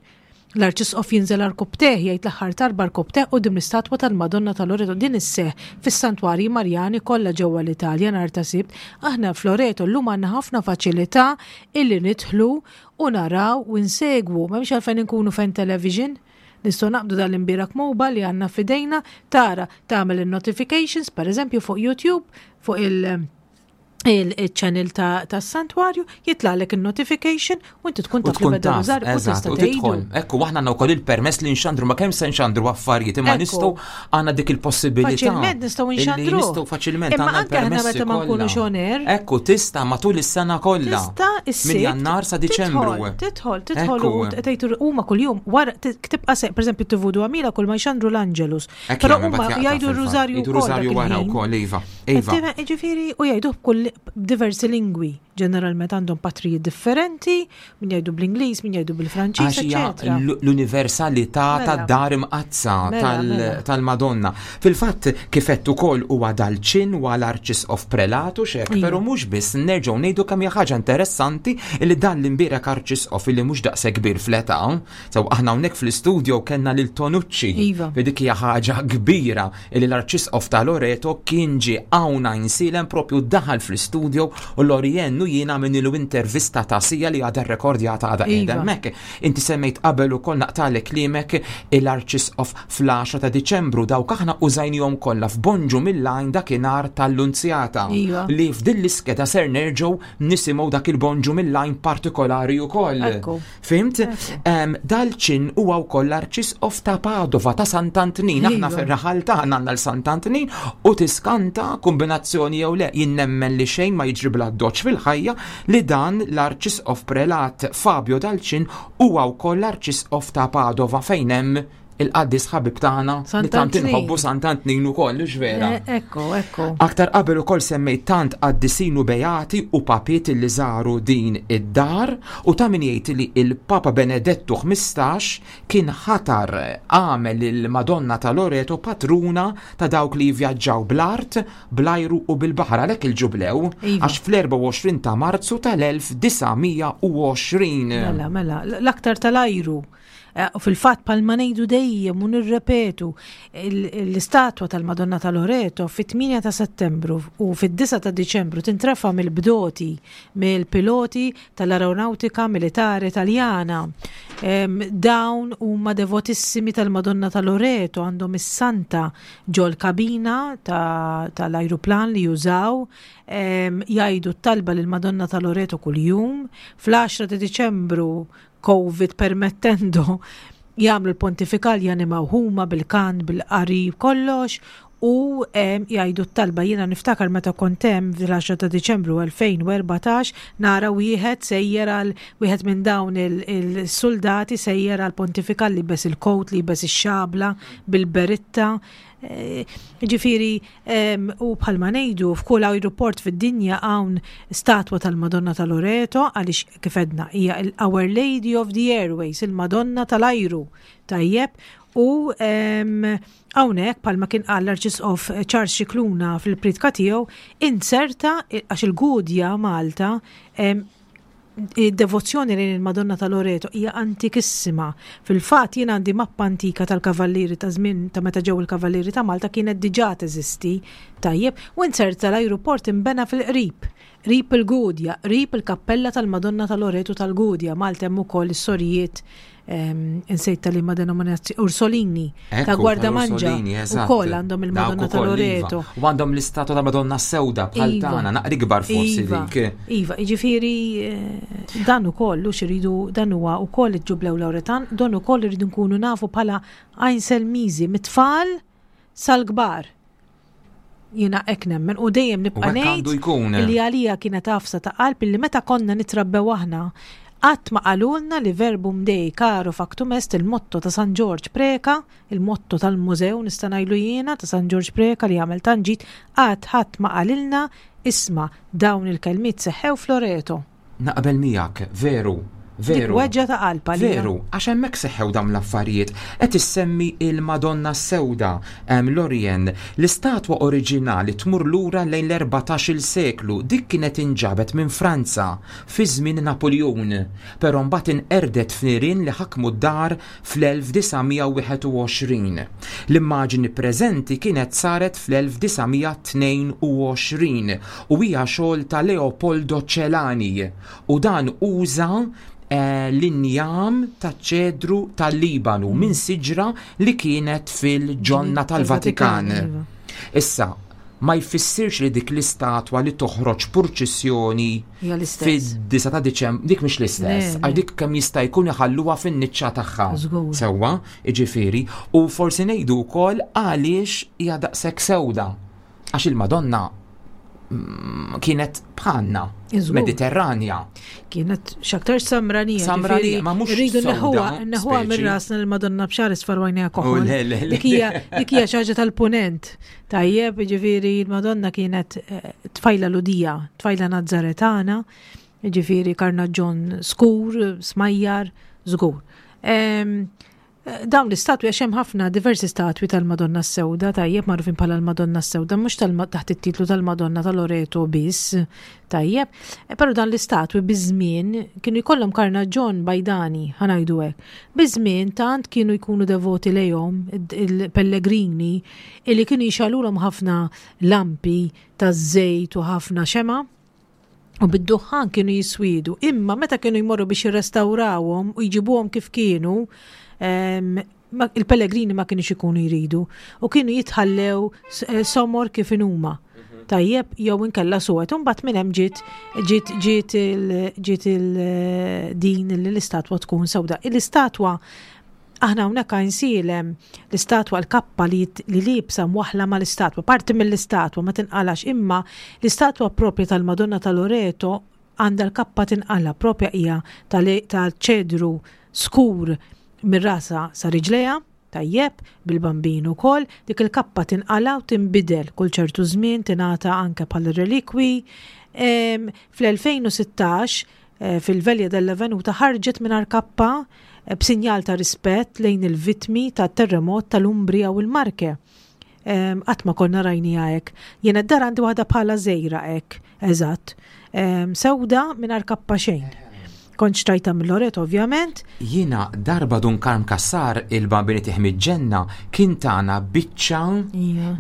Speaker 3: L-Arċisqof jinżel għarkopptejh, jgħid l-aħħar talba għarkopptejh quddiem l-istatwa tal-Madonna tal-Loreto. Din isseħ fis-santwarji Marjani kollha ġewwa l-Italja nhar ta' Sibt. Aħna f'Loreto llum għandna ħafna faċilità illi nidħlu u naraw u nsegwu. M'hemmx għalfejn inkunu fejn television. Nistgħu naqbdu dal-imbierek mobile li għandna f'idejna, tara, tagħmel il-notifications, per eżempju fuq YouTube, fuq il- il-channel ta' ta' santwarju, jitlagħlek il-notification u inti tkun
Speaker 2: U
Speaker 3: taf li
Speaker 2: tkun
Speaker 3: beda
Speaker 2: taf,
Speaker 3: rużarju u
Speaker 2: eżatt,
Speaker 3: tista'
Speaker 2: u tidħol.
Speaker 3: tgħidu.
Speaker 2: Ekku, aħna għandna wkoll il-permess li nxandru, ma kemm se nxandru affarijiet, imma
Speaker 3: Ekku.
Speaker 2: nistgħu, għandna dik il-possibilità.
Speaker 3: Faċilment nistgħu
Speaker 2: illi
Speaker 3: nxandru.
Speaker 2: Nistgħu faċilment
Speaker 3: Imma
Speaker 2: għandna
Speaker 3: anke aħna
Speaker 2: l-permessi
Speaker 3: meta ma nkunux
Speaker 2: kollha.
Speaker 3: on air.
Speaker 2: Ekku, tista' matul is-sena kollha.
Speaker 3: Tista' is-Sibt
Speaker 2: Minn Jannar sa Diċembru.
Speaker 3: Tidħol, tidħol, tidħol u
Speaker 2: Ekku.
Speaker 3: tgħidu huma kuljum wara tibqa' se, pereżempju T V Duemila kull ma jxandru l-Angelus.
Speaker 2: Ekk
Speaker 3: Però
Speaker 2: jagħmel,
Speaker 3: huma
Speaker 2: mbagħad jaqta'
Speaker 3: jgħidu
Speaker 2: fil-fatt.
Speaker 3: r-Rużarju
Speaker 2: Jgħidu
Speaker 3: wkoll dak
Speaker 2: Rużarju wara
Speaker 3: il-ħin.
Speaker 2: wkoll, iva. Iva.
Speaker 3: Ġifieri, u jgħidu b'kull b'diversi lingwi. Ġeneralment għandhom patrijiet differenti, min jgħidu bl-Ingliż, min jgħidu bil-Franċiż,
Speaker 2: Għax hija
Speaker 3: eċetera.
Speaker 2: l- l-universalità
Speaker 3: Mela.
Speaker 2: tad-dar imqaddsa
Speaker 3: Mela,
Speaker 2: tal-
Speaker 3: mela.
Speaker 2: tal-Madonna. Fil-fatt, kif għedt ukoll, huwa Dalċin huwa l-Arċisqof Prelatu xek,
Speaker 3: Iva.
Speaker 2: però mhux biss, nerġgħu ngħidu kemm hija ħaġa interessanti li dan l-imbierek Arċisqof li mhux daqshekk kbir fl-età. So aħna hawnhekk fl-istudio kellna lil Tonucci.
Speaker 3: Iva.
Speaker 2: Fi dik hija ħaġa kbira li l-Arċisqof ta' Loreto kien ġie hawn Għajnsielem, propju daħal fl-istudio u Loriennu jiena għamilnilu intervista ta' siegħa li għadha rekordjata, għadha
Speaker 3: Iva.
Speaker 2: qiegħda hemmhekk. Inti semmejt qabel ukoll, naqtagħlek kliemek, l-Arċisqof fl-għaxra ta' Diċembru, dawk aħna użajnihom kollha f'Bonġu mill-Għajn dakinhar tal-Lunzjata.
Speaker 3: Iva.
Speaker 2: Li f'din l-iskeda ser nerġgħu nisimgħu dak il-Bonġu mill-Għajn partikolari ukoll.
Speaker 3: Ekku.
Speaker 2: Fhimt? Em, Dalċin huwa wkoll l-Arċisqof ta' Padova, ta' Sant'Antnin. Aħna
Speaker 3: Iva.
Speaker 2: fir-raħal tagħna għandna l-Sant'Antnin u tiskanta kombinazzjoni jew le, jien nemmen li xejn ma jiġri bla doċ fil-ħajja, li dan l-Arċisqof Prelat Fabio Dalċin huwa wkoll l-Arċisqof ta' Padova fejn hemm il-qaddis ħabib tagħna li tant inħobbu Sant'Antnin ukoll, vera.
Speaker 3: Eh, ekku, ekku.
Speaker 2: Aktar qabel ukoll semmejt tant qaddisin u beati u papiet li żaru din id-dar u ta' min jgħid li il-Papa Benedettu ħmistax kien ħatar għamel il-Madonna ta' Loreto patruna ta' dawk li jivvjaġġaw bl-art, bl-ajru u bil-baħar, għalhekk il-ġublew,
Speaker 3: Iva.
Speaker 2: għax fl-erbgħa u għoxrin ta' Marzu tal-elf disa' mija u għoxrin.
Speaker 3: Mela, mela, l-aktar tal-ajru. Eh, u fil-fatt palma ngħidu dejjem u nirrepetu il-, l-istatwa tal-Madonna ta' Loreto fit-tmienja ta' Settembru u fid-disgħa ta' Diċembru tintrefa mill-bdoti, mill-piloti tal-Aeronautika Militari Taljana. Em, dawn huma devotissimi tal-Madonna ta' Loreto, għandhom is-santa ġol kabina ta-, tal-ajruplan li jużaw, em, jgħidu t-talba lill-Madonna ta' Loreto kuljum. Fl-għaxra ta' Diċembru, Covid permettendo, jagħmlu l-pontifikal, janimaw huma bil-kan, bil-qari, kollox, u, em, jgħidu t-talba. Jiena niftakar meta kont hemm fl-għaxra ta' Diċembru elfejn u erbatax, nara wieħed sejjer għal wieħed minn dawn il-, il-soldati sejjer għal pontifikal li bes il-kowt, li bes ix-xabla bil-beritta. Eh, ġifieri, em, u bħalma ngħidu f'kull aeroport fid-dinja hawn statwa tal-Madonna ta' Loreto, għaliex kif edna hija il-Our Lady of the Airways, il-Madonna tal-ajru. Tajjeb, u, em, hawnhekk bħalma kien qal l-Arċisqof Charles Scicluna fil-pritka tiegħu, inserta għax il-Gudja Malta, em, id-devozzjoni lejn il-Madonna ta' Loreto hija antikissima. Fil-fatt jien għandi mappa antika tal-Kavallieri ta' żmien ta' meta ġew il-Kavallieri ta' Malta kienet diġà teżisti. Tajjeb, u inserta l-ajruport imbena fil-qrib, qrib il-Gudja, qrib il-kappella tal-Madonna ta' Loreto tal-Gudja. Malta hemm ukoll is-sorijiet, ehm, insejt tal-liema denominazzjoni, Ursolini ta'
Speaker 2: Ekku,
Speaker 3: Gwardamanġa,
Speaker 2: tal-Ursolini, eżatt.
Speaker 3: ukoll għandhom il-Madonna
Speaker 2: Dawk
Speaker 3: ta'
Speaker 2: ukoll, iva.
Speaker 3: Loreto.
Speaker 2: U għandhom l-istatwa ta' Madonna Sewda bħal
Speaker 3: Iva.
Speaker 2: tagħna, naqri kbar forsi
Speaker 3: Iva.
Speaker 2: dik.
Speaker 3: Iva, jiġifieri, eh, dan ukoll, u xiridu, dan huwa ukoll il-Ġublew Lawretan, dan ukoll irridu nkunu nafu bħala Għajnselmiżi mit-tfal sal-kbar. Jiena hekk nemmen u dejjem nibqa'
Speaker 2: U hekk
Speaker 3: ngħid
Speaker 2: għandu jkun.
Speaker 3: li għalija kienet għafsa ta' qalb li meta konna nitrabbew aħna qatt ma qalulna li verbum Dei caro factum est, il-motto ta' San Ġorġ Preka, il-motto tal-mużew nista' ngħidlu jiena ta' San Ġorġ Preka li għamel tanġit, qatt ħadd ma qalilna isma' dawn il-kelmiet seħħew f'Loreto.
Speaker 2: Naqbel miegħek, veru, veru.
Speaker 3: Dik weġġa ta' qalb għalija.
Speaker 2: Veru, għax hemmhekk seħħew dawn l-affarijiet. Qed issemmi il-Madonna Sewda, em, Lorien, l-istatwa oriġinali tmur lura lejn l-erbatax-il seklu, dik kienet inġabet minn Franza fi żmien Napoleon, però mbagħad inqerdet f'nirien li ħakmu d-dar fl-elf disa' mija u wieħed u għoxrin. L-immaġini preżenti kienet saret fl-elf disa' mija tnejn u għoxrin u hija xogħol ta' Leopoldo Celani u dan uża, eh, l-injam ta' ċedru tal-Libanu minn siġra li kienet fil-ġonna tal-Vatikan.
Speaker 3: Iva.
Speaker 2: Issa, ma jfissirx li dik l-istatwa li toħroġ purċissjoni
Speaker 3: Hija l-istess.
Speaker 2: fid-disgħa ta' Diċembru, dik mhix l-istess,
Speaker 3: Le, le.
Speaker 2: għax dik kemm jista' jkun iħalluha fin-niċċa tagħha.
Speaker 3: Żgur.
Speaker 2: Sewwa, jiġifieri, u forsi ngħidu wkoll għaliex hija daqshekk sewda. Għax il-Madonna mm, kienet bħalna,
Speaker 3: Iżgur.
Speaker 2: Mediterranja.
Speaker 3: Kienet x'aktar samranija,
Speaker 2: Samranija,
Speaker 3: ġifieri
Speaker 2: ma mhux
Speaker 3: rridu
Speaker 2: sewda,
Speaker 3: neħuha, neħuha
Speaker 2: speċi.
Speaker 3: minn rasna l-Madonna b'xar isfar għajnejha koħol.
Speaker 2: U le, le, le.
Speaker 3: Dik hija, dik hija xi ħaġa tal-punent. Tajjeb, ġifieri l-Madonna kienet, eh, tfajla Ludija, tfajla Nazzaretana, ġifieri karnaġġon skur, smajjar, żgur. Em, dawn l-istatwi, għax hemm ħafna diversi statwi tal-Madonna s-Sewda, tajjeb, magħrufin bħala l-Madonna s-Sewda, mhux tal-ma-, taħt it-titlu tal-Madonna ta' Loreto biss, tajjeb, e, però dan l-istatwi biż-żmien kienu jkollhom karnaġġon bajdani, ħanajdu hekk. Biż-żmien tant kienu jkunu devoti lejhom il-pellegrini illi kienu jixalulhom ħafna lampi taż-żejt u ħafna xema', u bid-duħħan kienu jiswidu, imma meta kienu jmorru biex jirrestawrawhom u jġibuhom kif kienu, em, ma-, il-pellegrini ma kienux ikunu jridu u kienu jitħallew s-, eh, somor kif inhuma. Tajjeb, jew inkella suwed, u mbagħad minn hemm ġiet, ġiet, ġiet il-, ġiet il-, din li l-istatwa tkun sewda. L-istatwa aħna hawnhekk Għajnsielem l-istatwa l-kappa li jit-, li liebsa mwaħla mal-istatwa, parti mill-istatwa ma tinqalax, imma l-istatwa propja tal-Madonna ta' Loreto għandha l-kappa tinqala, propja hija tal-, tal-ċedru skur mir-rasa sa riġlejha. tajjeb, bil-Bambin ukoll, dik il-kappa tinqala u tinbidel kull ċertu żmien, tingħata anke bħal relikwi. Fl-elfejn u sittax eh, fil-Velja della Venuta ħarġet mingħajr kappa eh, b'sinjal ta' rispett lejn il-vittmi ta' terremot tal-Umbria u l-Marke. Qatt ma konna rajni hekk. Jiena d-dar għandi waħda bħala żgħira hekk, eżatt. Sewda mingħajr kappa xejn. Kont xtrajta mill-Loreto, ovvjament.
Speaker 2: Jiena darba Dun Karm Kassar, il-Bambini Tiħmi Ġenna, kien tana biċċa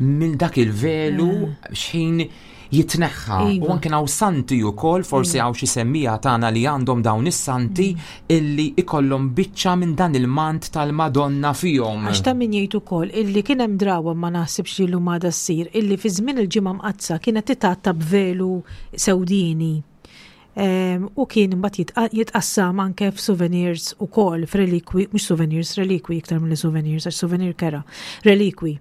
Speaker 2: minn dak il-velu xħin jitneħħa.
Speaker 3: Iva.
Speaker 2: U anke hawn santi wkoll, forsi hawn xi semmija tagħna li għandhom dawn is-santi illi ikollhom biċċa minn dan il-mant tal-Madonna fihom.
Speaker 3: Għax ta' min jgħid ukoll illi kien hemm drawa, ma naħsibx li llum għadha ssir, illi fi żmien il-Ġimgħa Mqaddsa kienet titgħatta b'velu sewdini. Em, u kien imbagħad jitqa- jitqassam anke f'souvenirs ukoll, f'relikwi, mhux souvenirs, relikwi iktar milli souvenirs, għax souvenir kera, relikwi.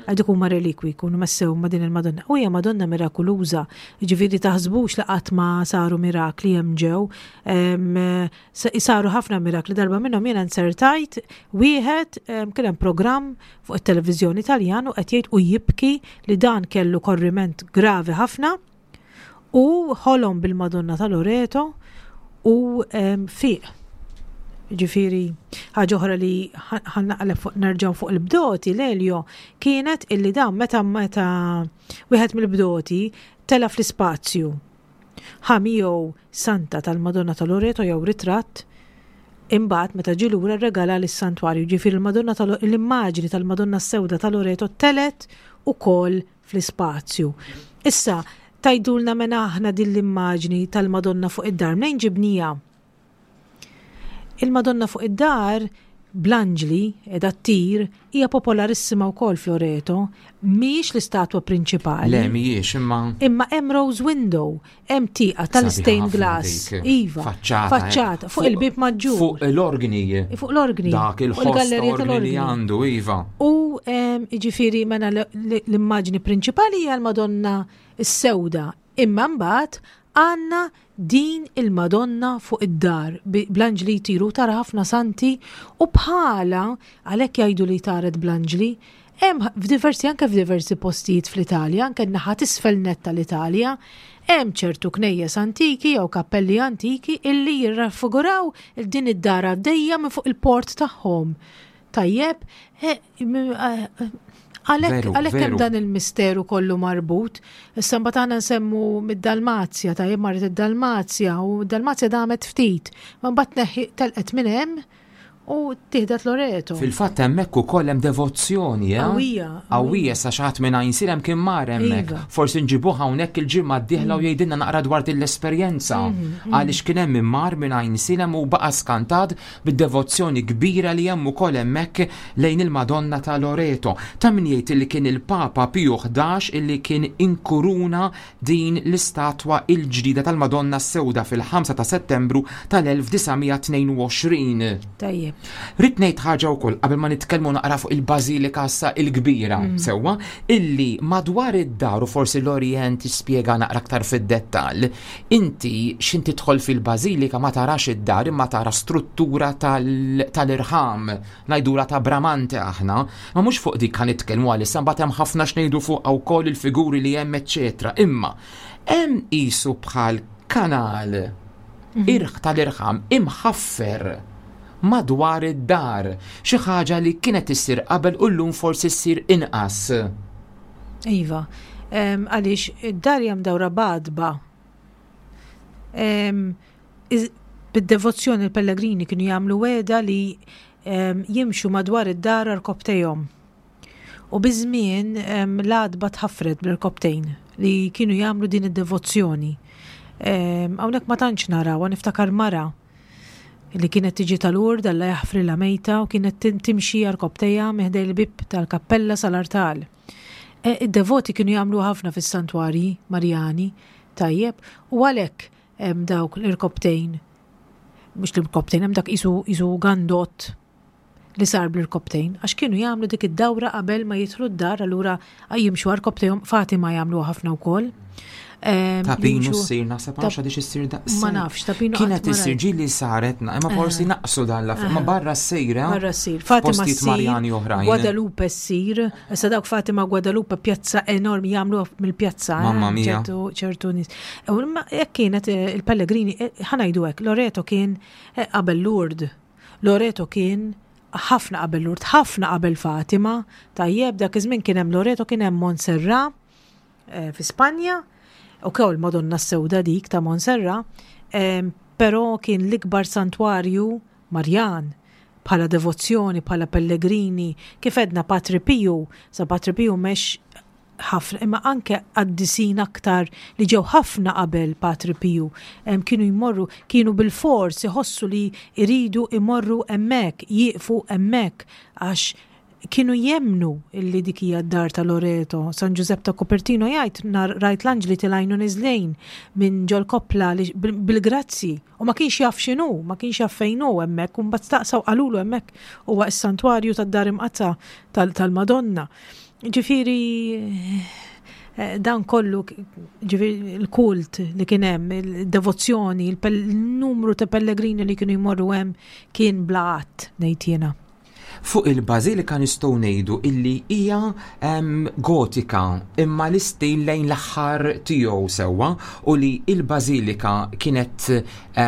Speaker 3: Għal dik huma relikwi, jkunu messew ma' din il-Madonna. U hija Madonna mirakoluża, ġifieri taħsbux li qatt ma saru mirakli hemm ġew. Em, sa- Saru ħafna mirakli, darba minnhom jiena nsertajt wieħed em, kien hemm programm fuq it-televiżjoni Taljan u qed jgħid u jibki li dan kellu korriment gravi ħafna u ħolom bil-Madonna ta' Loreto u em, fiq. Ġifieri, ħaġa oħra li ħa naqleb fuq, nerġgħu fuq il-bdoti, Lelio, kienet illi dan meta meta wieħed mill-bdoti tela fl-ispazju. Ħa miegħu santa tal-Madonna ta' Loreto jew ritratt, imbagħad meta ġie lura regala lis-santwarju. Ġifieri l-Madonna tal l-immaġni tal-Madonna Sewda ta' Loreto telet ukoll fl-ispazju. Issa, tgħidulna mena aħna din l-immaġni tal-Madonna fuq id-dar, mnejn ġibnieha? Il-Madonna fuq id-dar bl-anġli edha ttir hija popolarissima wkoll f'Loreto, mhijiex l-istatwa prinċipali.
Speaker 2: Le, mhijiex, imma
Speaker 3: Imma hemm rose window, hemm tieqa tal-stained
Speaker 2: Sabiħa ħafna
Speaker 3: glass.
Speaker 2: dik.
Speaker 3: Iva.
Speaker 2: Faċċata.
Speaker 3: Faċċata, fuq il-bib maġġur.
Speaker 2: Fuq l-organi.
Speaker 3: Fuq l-organi.
Speaker 2: Dak
Speaker 3: fuq
Speaker 2: il-ħoss
Speaker 3: il-gallerija
Speaker 2: ta' organi li
Speaker 3: tal-organi.
Speaker 2: għandu, iva.
Speaker 3: U em, ġifieri mena l- l- l-immaġni prinċipali hija l-Madonna s-sewda. Imma mbagħad għandna din il-Madonna fuq id-dar bi- bl-anġli jtiru, tara ħafna santi u bħala għalhekk jgħidu li taret bl-anġli. Hemm f'diversi, anke f'diversi postijiet fl-Italja, anke n-naħa t'isfel nett tal-Italja, hemm ċertu knejjes antiki jew kappelli antiki illi jirraffiguraw il din id-dar għaddejja minn fuq il-port tagħhom. Tajjeb, eh, m- eh, għalhekk
Speaker 2: Veru,
Speaker 3: għalhekk hemm
Speaker 2: veru.
Speaker 3: dan il-misteru kollu marbut. Issa mbagħad aħna nsemmu mid-Dalmazja, tajjeb, marret id-Dalmazja u d-Dalmazja damet ftit. Ma mbagħad neħi telqet minn hemm u tieħdet Loreto.
Speaker 2: Fil-fatt hemmhekk ukoll hemm devozzjoni, eh?
Speaker 3: Qawwija,
Speaker 2: Qawwija, sa xi ħadd minn Għajnsielem kien mar hemmhekk.
Speaker 3: Iva.
Speaker 2: Forsi nġibuh hawnhekk il-ġimgħa d-dieħla u jgħidilna naqra dwar din l-esperjenza.
Speaker 3: Mhm,
Speaker 2: Għaliex kien hemm min mar minn Għajnsielem u baqa' skantat bid-devozzjoni kbira li hemm ukoll hemmhekk lejn il-Madonna ta' Loreto. Ta' min jgħid li kien il-Papa Piju ħdax illi kien inkuruna din l-istatwa il-ġdida tal-Madonna Sewda fil-ħamsa ta' Settembru tal-elf disa' mija tnejn u għoxrin.
Speaker 3: Tajjeb.
Speaker 2: Rrid ngħid ħaġa wkoll qabel ma nitkellmu naqra fuq il-Bażilika issa il-kbira, sewwa, illi madwar id-dar, u forsi l-Orient tispjega naqra aktar fid-dettall, inti x'in tidħol fil-Bażilika ma tarax id-dar imma tara struttura tal- tal-irħam, ngħidula ta' Bramante aħna, ma mhux fuq dik ħa nitkellmu għalissa, mbagħad hemm ħafna x'ngħidu fuq wkoll il-figuri li hemm, eċċetera. Imma hemm qisu bħal kanal irħ tal-irħam imħaffer madwar id-dar, xi ħaġa li kienet issir qabel u llum forsi ssir inqas.
Speaker 3: Iva, Em, għaliex id-dar hija mdawra b'għadba. Em, iz- Bid-devozzjoni il-pellegrini kienu jagħmlu wegħda li em, jimxu madwar id-dar għarkopptejhom. U biż-żmien em, l-għadba tħaffret bl-irkopptejn li kienu jagħmlu din id-devozzjoni. Em, Hawnhekk ma tantx naraw, niftakar mara li kienet tiġi tal-Ur, Alla jaħfrilha, mejta, u kienet tim- timxi għarkopptejha minn ħdejn il-bib tal-kappella sal-artal. E, Id-devoti kienu jagħmlu ħafna fis-santwarji Marjani, tajjeb, u għalhekk hemm dawk l-irkopptejn, mhux l-irkopptejn, hemm dak isu isu gandot li sar bl-irkoptejn, għax kienu jagħmlu dik id-dawra qabel ma jidħlu d-dar, allura jimxu għarkoptejhom. Fatima jagħmlu ħafna wkoll.
Speaker 2: Ta' Pinu ssir, naħseb għax għadix issir daqs.
Speaker 3: Ma nafx, ta' Pinu.
Speaker 2: Kienet issir, ġieli saret, imma forsi naqsu dan la, ma barra s-sejra.
Speaker 3: Barra ssir. Fatima
Speaker 2: ssir. Marjani oħrajn.
Speaker 3: Guadalupe ssir. Issa dawk Fatima, Guadalupe, pjazza enormi, jagħmlu mill-pjazza.
Speaker 2: Mamma mia.
Speaker 3: Ċertu nies. Jekk kienet il-Pellegrini, ħa ngħidu hekk, Loreto kien qabel Lourdes. Loreto kien ħafna qabel Lourdes, ħafna qabel Fatima. Tajjeb, dak iż-żmien kien hemm Loreto, kien hemm Montserrat fi Spanja, u kew il-Madonna Sewda dik ta' Montserrat, però kien l-ikbar santwarju Marjan bħala devozzjoni, bħala pellegrini, kif edna Patri Piju, sa Patri Piju mex ħafna, imma anke qaddisin aktar li ġew ħafna qabel Patri Piju, kienu jmorru, kienu bil-fors iħossu li iridu imorru hemmhekk, jieqfu hemmhekk, għax kienu jemnu illi dik hija d-dar ta' Loreto. San Giuseppe ta' Copertino jgħid, rajt l-anġli telgħin u neżlin minn ġol koppla bil-grazzi, u ma kienx jaf x'inhu, ma kienx jaf fejn hu hemmhekk, u mbagħad staqsaw qalulu hemmhekk huwa s-santwarju tad-dar imqatta tal-Madonna. Ġifieri dan kollu, ġifieri il-kult li kien hemm, il-devozzjoni, il-numru ta' pellegrini li kienu jmorru hemm kien bla għadd, ngħid jiena.
Speaker 2: Fuq il-bażilika nistgħu ngħidu illi hija gotika, imma l-istil lejn l-aħħar tiegħu sewwa, u li il-bażilika kienet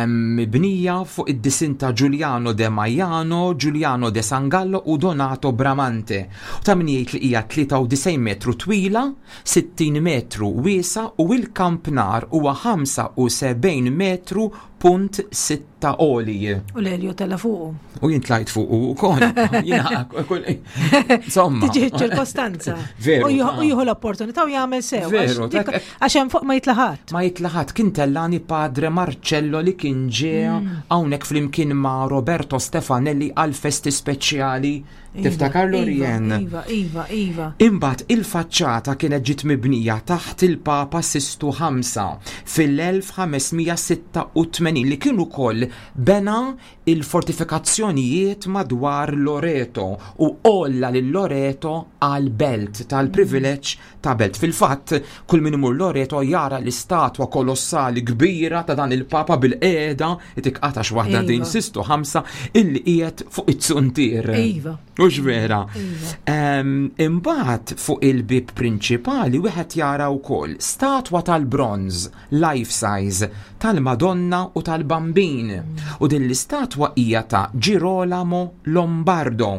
Speaker 2: mibnija fuq id-disin ta' Giuliano de Maiano, Giuliano de Sangallo u Donato Bramante. U ta' min jgħid li hija tlieta u disgħin metru twila, sittin metru wiesa u il-kampnar huwa ħamsa u sebgħin metru punt sitta għoli.
Speaker 3: U l-Elio tella fuqu.
Speaker 2: U jien tlajt fuqu wkoll. Jiena kull insomma.
Speaker 3: Tiġi ċirkostanza.
Speaker 2: Veru.
Speaker 3: U jieħu l-opportunità u jagħmel sew.
Speaker 2: Veru,
Speaker 3: għax hemm fuq ma jitlaħat.
Speaker 2: Ma jitlaħat. Kien tellani Padre Marcello li kien ġie
Speaker 3: mm.
Speaker 2: hawnhekk flimkien ma' Roberto Stefanelli għal festi speċjali. Tiftakar Lorien?
Speaker 3: Iva, iva, iva.
Speaker 2: Imbagħad il-faċċata kienet ġiet mibnija taħt il-Papa Sistu ħamsa fil-elf ħamesmija sitta u tmenin li kien ukoll bena il-fortifikazzjonijiet madwar Loreto u għolla lil Loreto għal belt tal-privileġġ ta' belt. Fil-fatt, kull min imur Loreto jara l-istatwa kolossali kbira ta' dan il-Papa bil-qeda, tikqatax waħda din
Speaker 3: Iva.
Speaker 2: Sistu ħamsa illi qiegħed fuq it-suntier.
Speaker 3: Iva.
Speaker 2: Mhux vera.
Speaker 3: Iva.
Speaker 2: Ehm, imbagħad fuq il-bib prinċipali wieħed jara wkoll statwa tal-bronż life size tal-Madonna u tal-Bambin. U din l-istatwa hija ta' Girolamo Lombardo.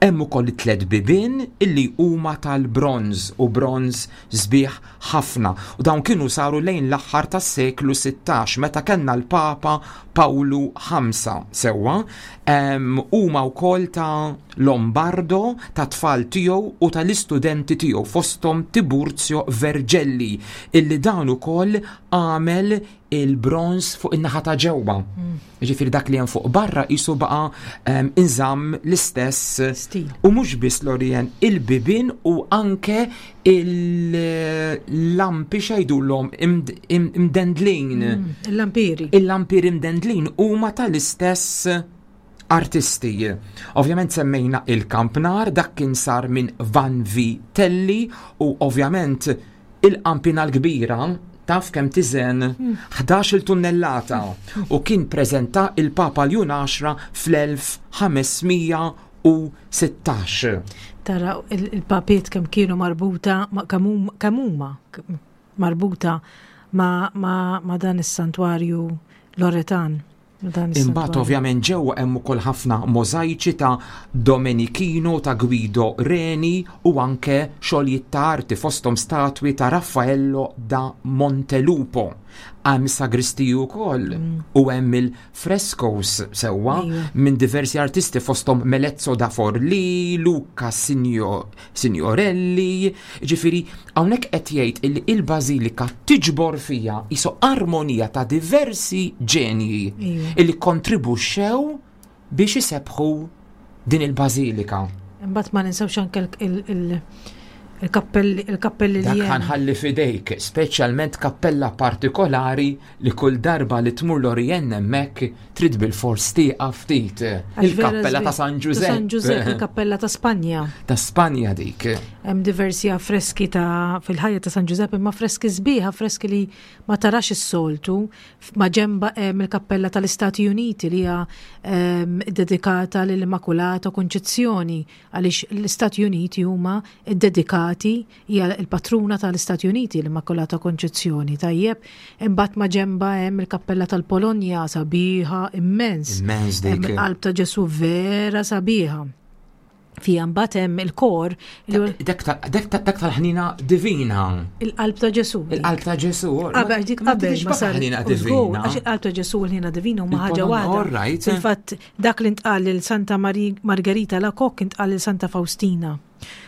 Speaker 2: Hemm ukoll tliet bibien illi huma tal-bronż u bronż sbieħ ħafna. U dawn kienu saru lejn l-aħħar tas-seklu sittax meta kellna l-Papa Pawlu ħamsa sewwa. Ehm, huma wkoll ta' Lombardo, ta' tfal tiegħu u tal-istudenti tiegħu fosthom Tiburzio Vergelli illi dan ukoll għamel il-bronż fuq in-naħa ta' ġewwa.
Speaker 3: Mm.
Speaker 2: Jiġifieri dak li hemm fuq barra qisu baqa', ehm, inżamm l-istess
Speaker 3: stil.
Speaker 2: U mhux biss Lorien, il-bibien u anke il-lampi xejdulhom imd-, im-, imdendlin.
Speaker 3: Mm, il-lampiri.
Speaker 2: Il-lampiri imdendlin huma tal-istess artisti. Ovvjament semmejna il-kampnar, dak kien sar minn Van Vitelli u ovvjament il-qampina l-kbira taf kemm tiżen
Speaker 3: Hmm.
Speaker 2: ħdax-il tunnellata u kien preżenta il-Papa Ljun għaxra fl-elf ħamesmija u sittax.
Speaker 3: Tara il-, il-papiet kemm kienu marbuta, ma-, kemm hum-, kemm huma marbuta ma-, ma-, ma' dan is-santwarju Loretan. Dan
Speaker 2: Imbagħad
Speaker 3: is-santwarju.
Speaker 2: ovvjament ġewwa hemm ukoll ħafna możajċi ta' Domenichino, ta' Guido Reni u anke xogħlijiet ta' arti fosthom statwi ta' Raffaello da Montelupo. Hemm sagristiji wkoll
Speaker 3: Mm.
Speaker 2: u hemm il-frescoes sewwa
Speaker 3: Ejwa.
Speaker 2: minn diversi artisti fosthom Melezzo da Forlì, Luca Signo-, Signorelli. Ġifieri hawnhekk qed jgħid illi il-bażilika tiġbor fija iso armonija ta' diversi ġenji
Speaker 3: Ejwa.
Speaker 2: illi kontribwixxew biex isebħu din il-bażilika.
Speaker 3: Imbagħad ma ninsewx anke il-, il-, Il-kappelli il-kappelli li
Speaker 2: Dak
Speaker 3: hemm.
Speaker 2: Ħa nħalli f'idejk, speċjalment kappella partikolari li kull darba li tmur Lorien hemmhekk trid bil-fors tieqaf ftit.
Speaker 3: Għax vera
Speaker 2: Il-kappella ta'
Speaker 3: sbieħ.
Speaker 2: San
Speaker 3: Ta' San Ġużepp,
Speaker 2: Ġużepp.
Speaker 3: il-kappella ta' Spanja.
Speaker 2: Ta' Spanja dik.
Speaker 3: Hemm diversi affreski ta' fil-ħajja ta' San Ġużepp, imma affreski sbieħ, affreski li ma tarax is-soltu. Ma ġemba hemm il-kappella tal-Istati Uniti li hija ehm, dedikata lill-Immakulata Konċezzjoni, għaliex l-Istati Uniti huma ddedikati, hija l-patruna tal-Istati Uniti l-Immakulata Konċezzjoni. Tajjeb, imbagħad ma ġemba hemm il-kappella tal-Polonja, sabiħa immens.
Speaker 2: Immens
Speaker 3: Hemm
Speaker 2: dik.
Speaker 3: il-qalb ta' Ġesu vera sabiħa. Fija mbagħad hemm il-kor li huwa
Speaker 2: Dak ta- dak ta- dak tal-ħnina divina.
Speaker 3: Il-qalb ta' Ġesu.
Speaker 2: Il-qalb ta' Ġesu.
Speaker 3: Qabel dik qabel ma sar
Speaker 2: ħnina
Speaker 3: u żgur,
Speaker 2: divina.
Speaker 3: għax il-qalb ta' Ġesu u l-ħnina divina huma ħaġa
Speaker 2: Il-Polonja,
Speaker 3: waħda.
Speaker 2: all right.
Speaker 3: Fil-fatt dak li ntqal lil Santa Mari- Margherita Alacoque intqal lil Santa Faustina.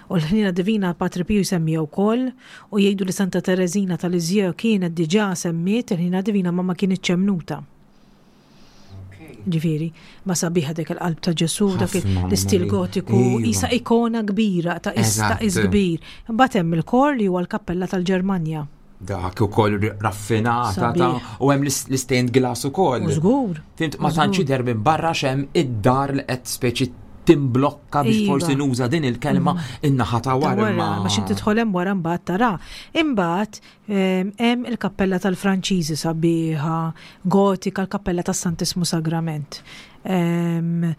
Speaker 3: U l-ħnina divina Patri Piju jsemmiha wkoll u jgħidu li Santa Teresina ta' Lisieux kienet diġà semmiet il-ħnina divina ma ma kienitx emmnuta. Ġifieri, ma sabiħa dik il-qalb ta' Ġesu, dak
Speaker 2: Ħafna,
Speaker 3: l-istil
Speaker 2: mamma
Speaker 3: gotiku,
Speaker 2: mia. Iva.
Speaker 3: isa ikona kbira ta' is ta' is
Speaker 2: Eżatt.
Speaker 3: kbir. Imbagħad hemm il-kor li huwa l-kappella tal-Ġermanja.
Speaker 2: Dak ukoll raffinata ta'
Speaker 3: Sabiħ.
Speaker 2: u hemm l-stained glass ukoll.
Speaker 3: U żgur.
Speaker 2: Fhimt, ma
Speaker 3: U
Speaker 2: tantx
Speaker 3: żgur.
Speaker 2: jidher minn barra x'hemm id-dar li qed speċi timblokka biex
Speaker 3: Iva.
Speaker 2: forsi nuża din il-kelma in-naħa ta'
Speaker 3: Ta'
Speaker 2: wara.
Speaker 3: wara,
Speaker 2: imma-
Speaker 3: ma xi tidħol hemm wara mbagħad tara. Imbagħad em, hemm il-kappella tal-Franċiżi sabiħa, gotika, l-kappella tas-Santismu Sagrament. Em,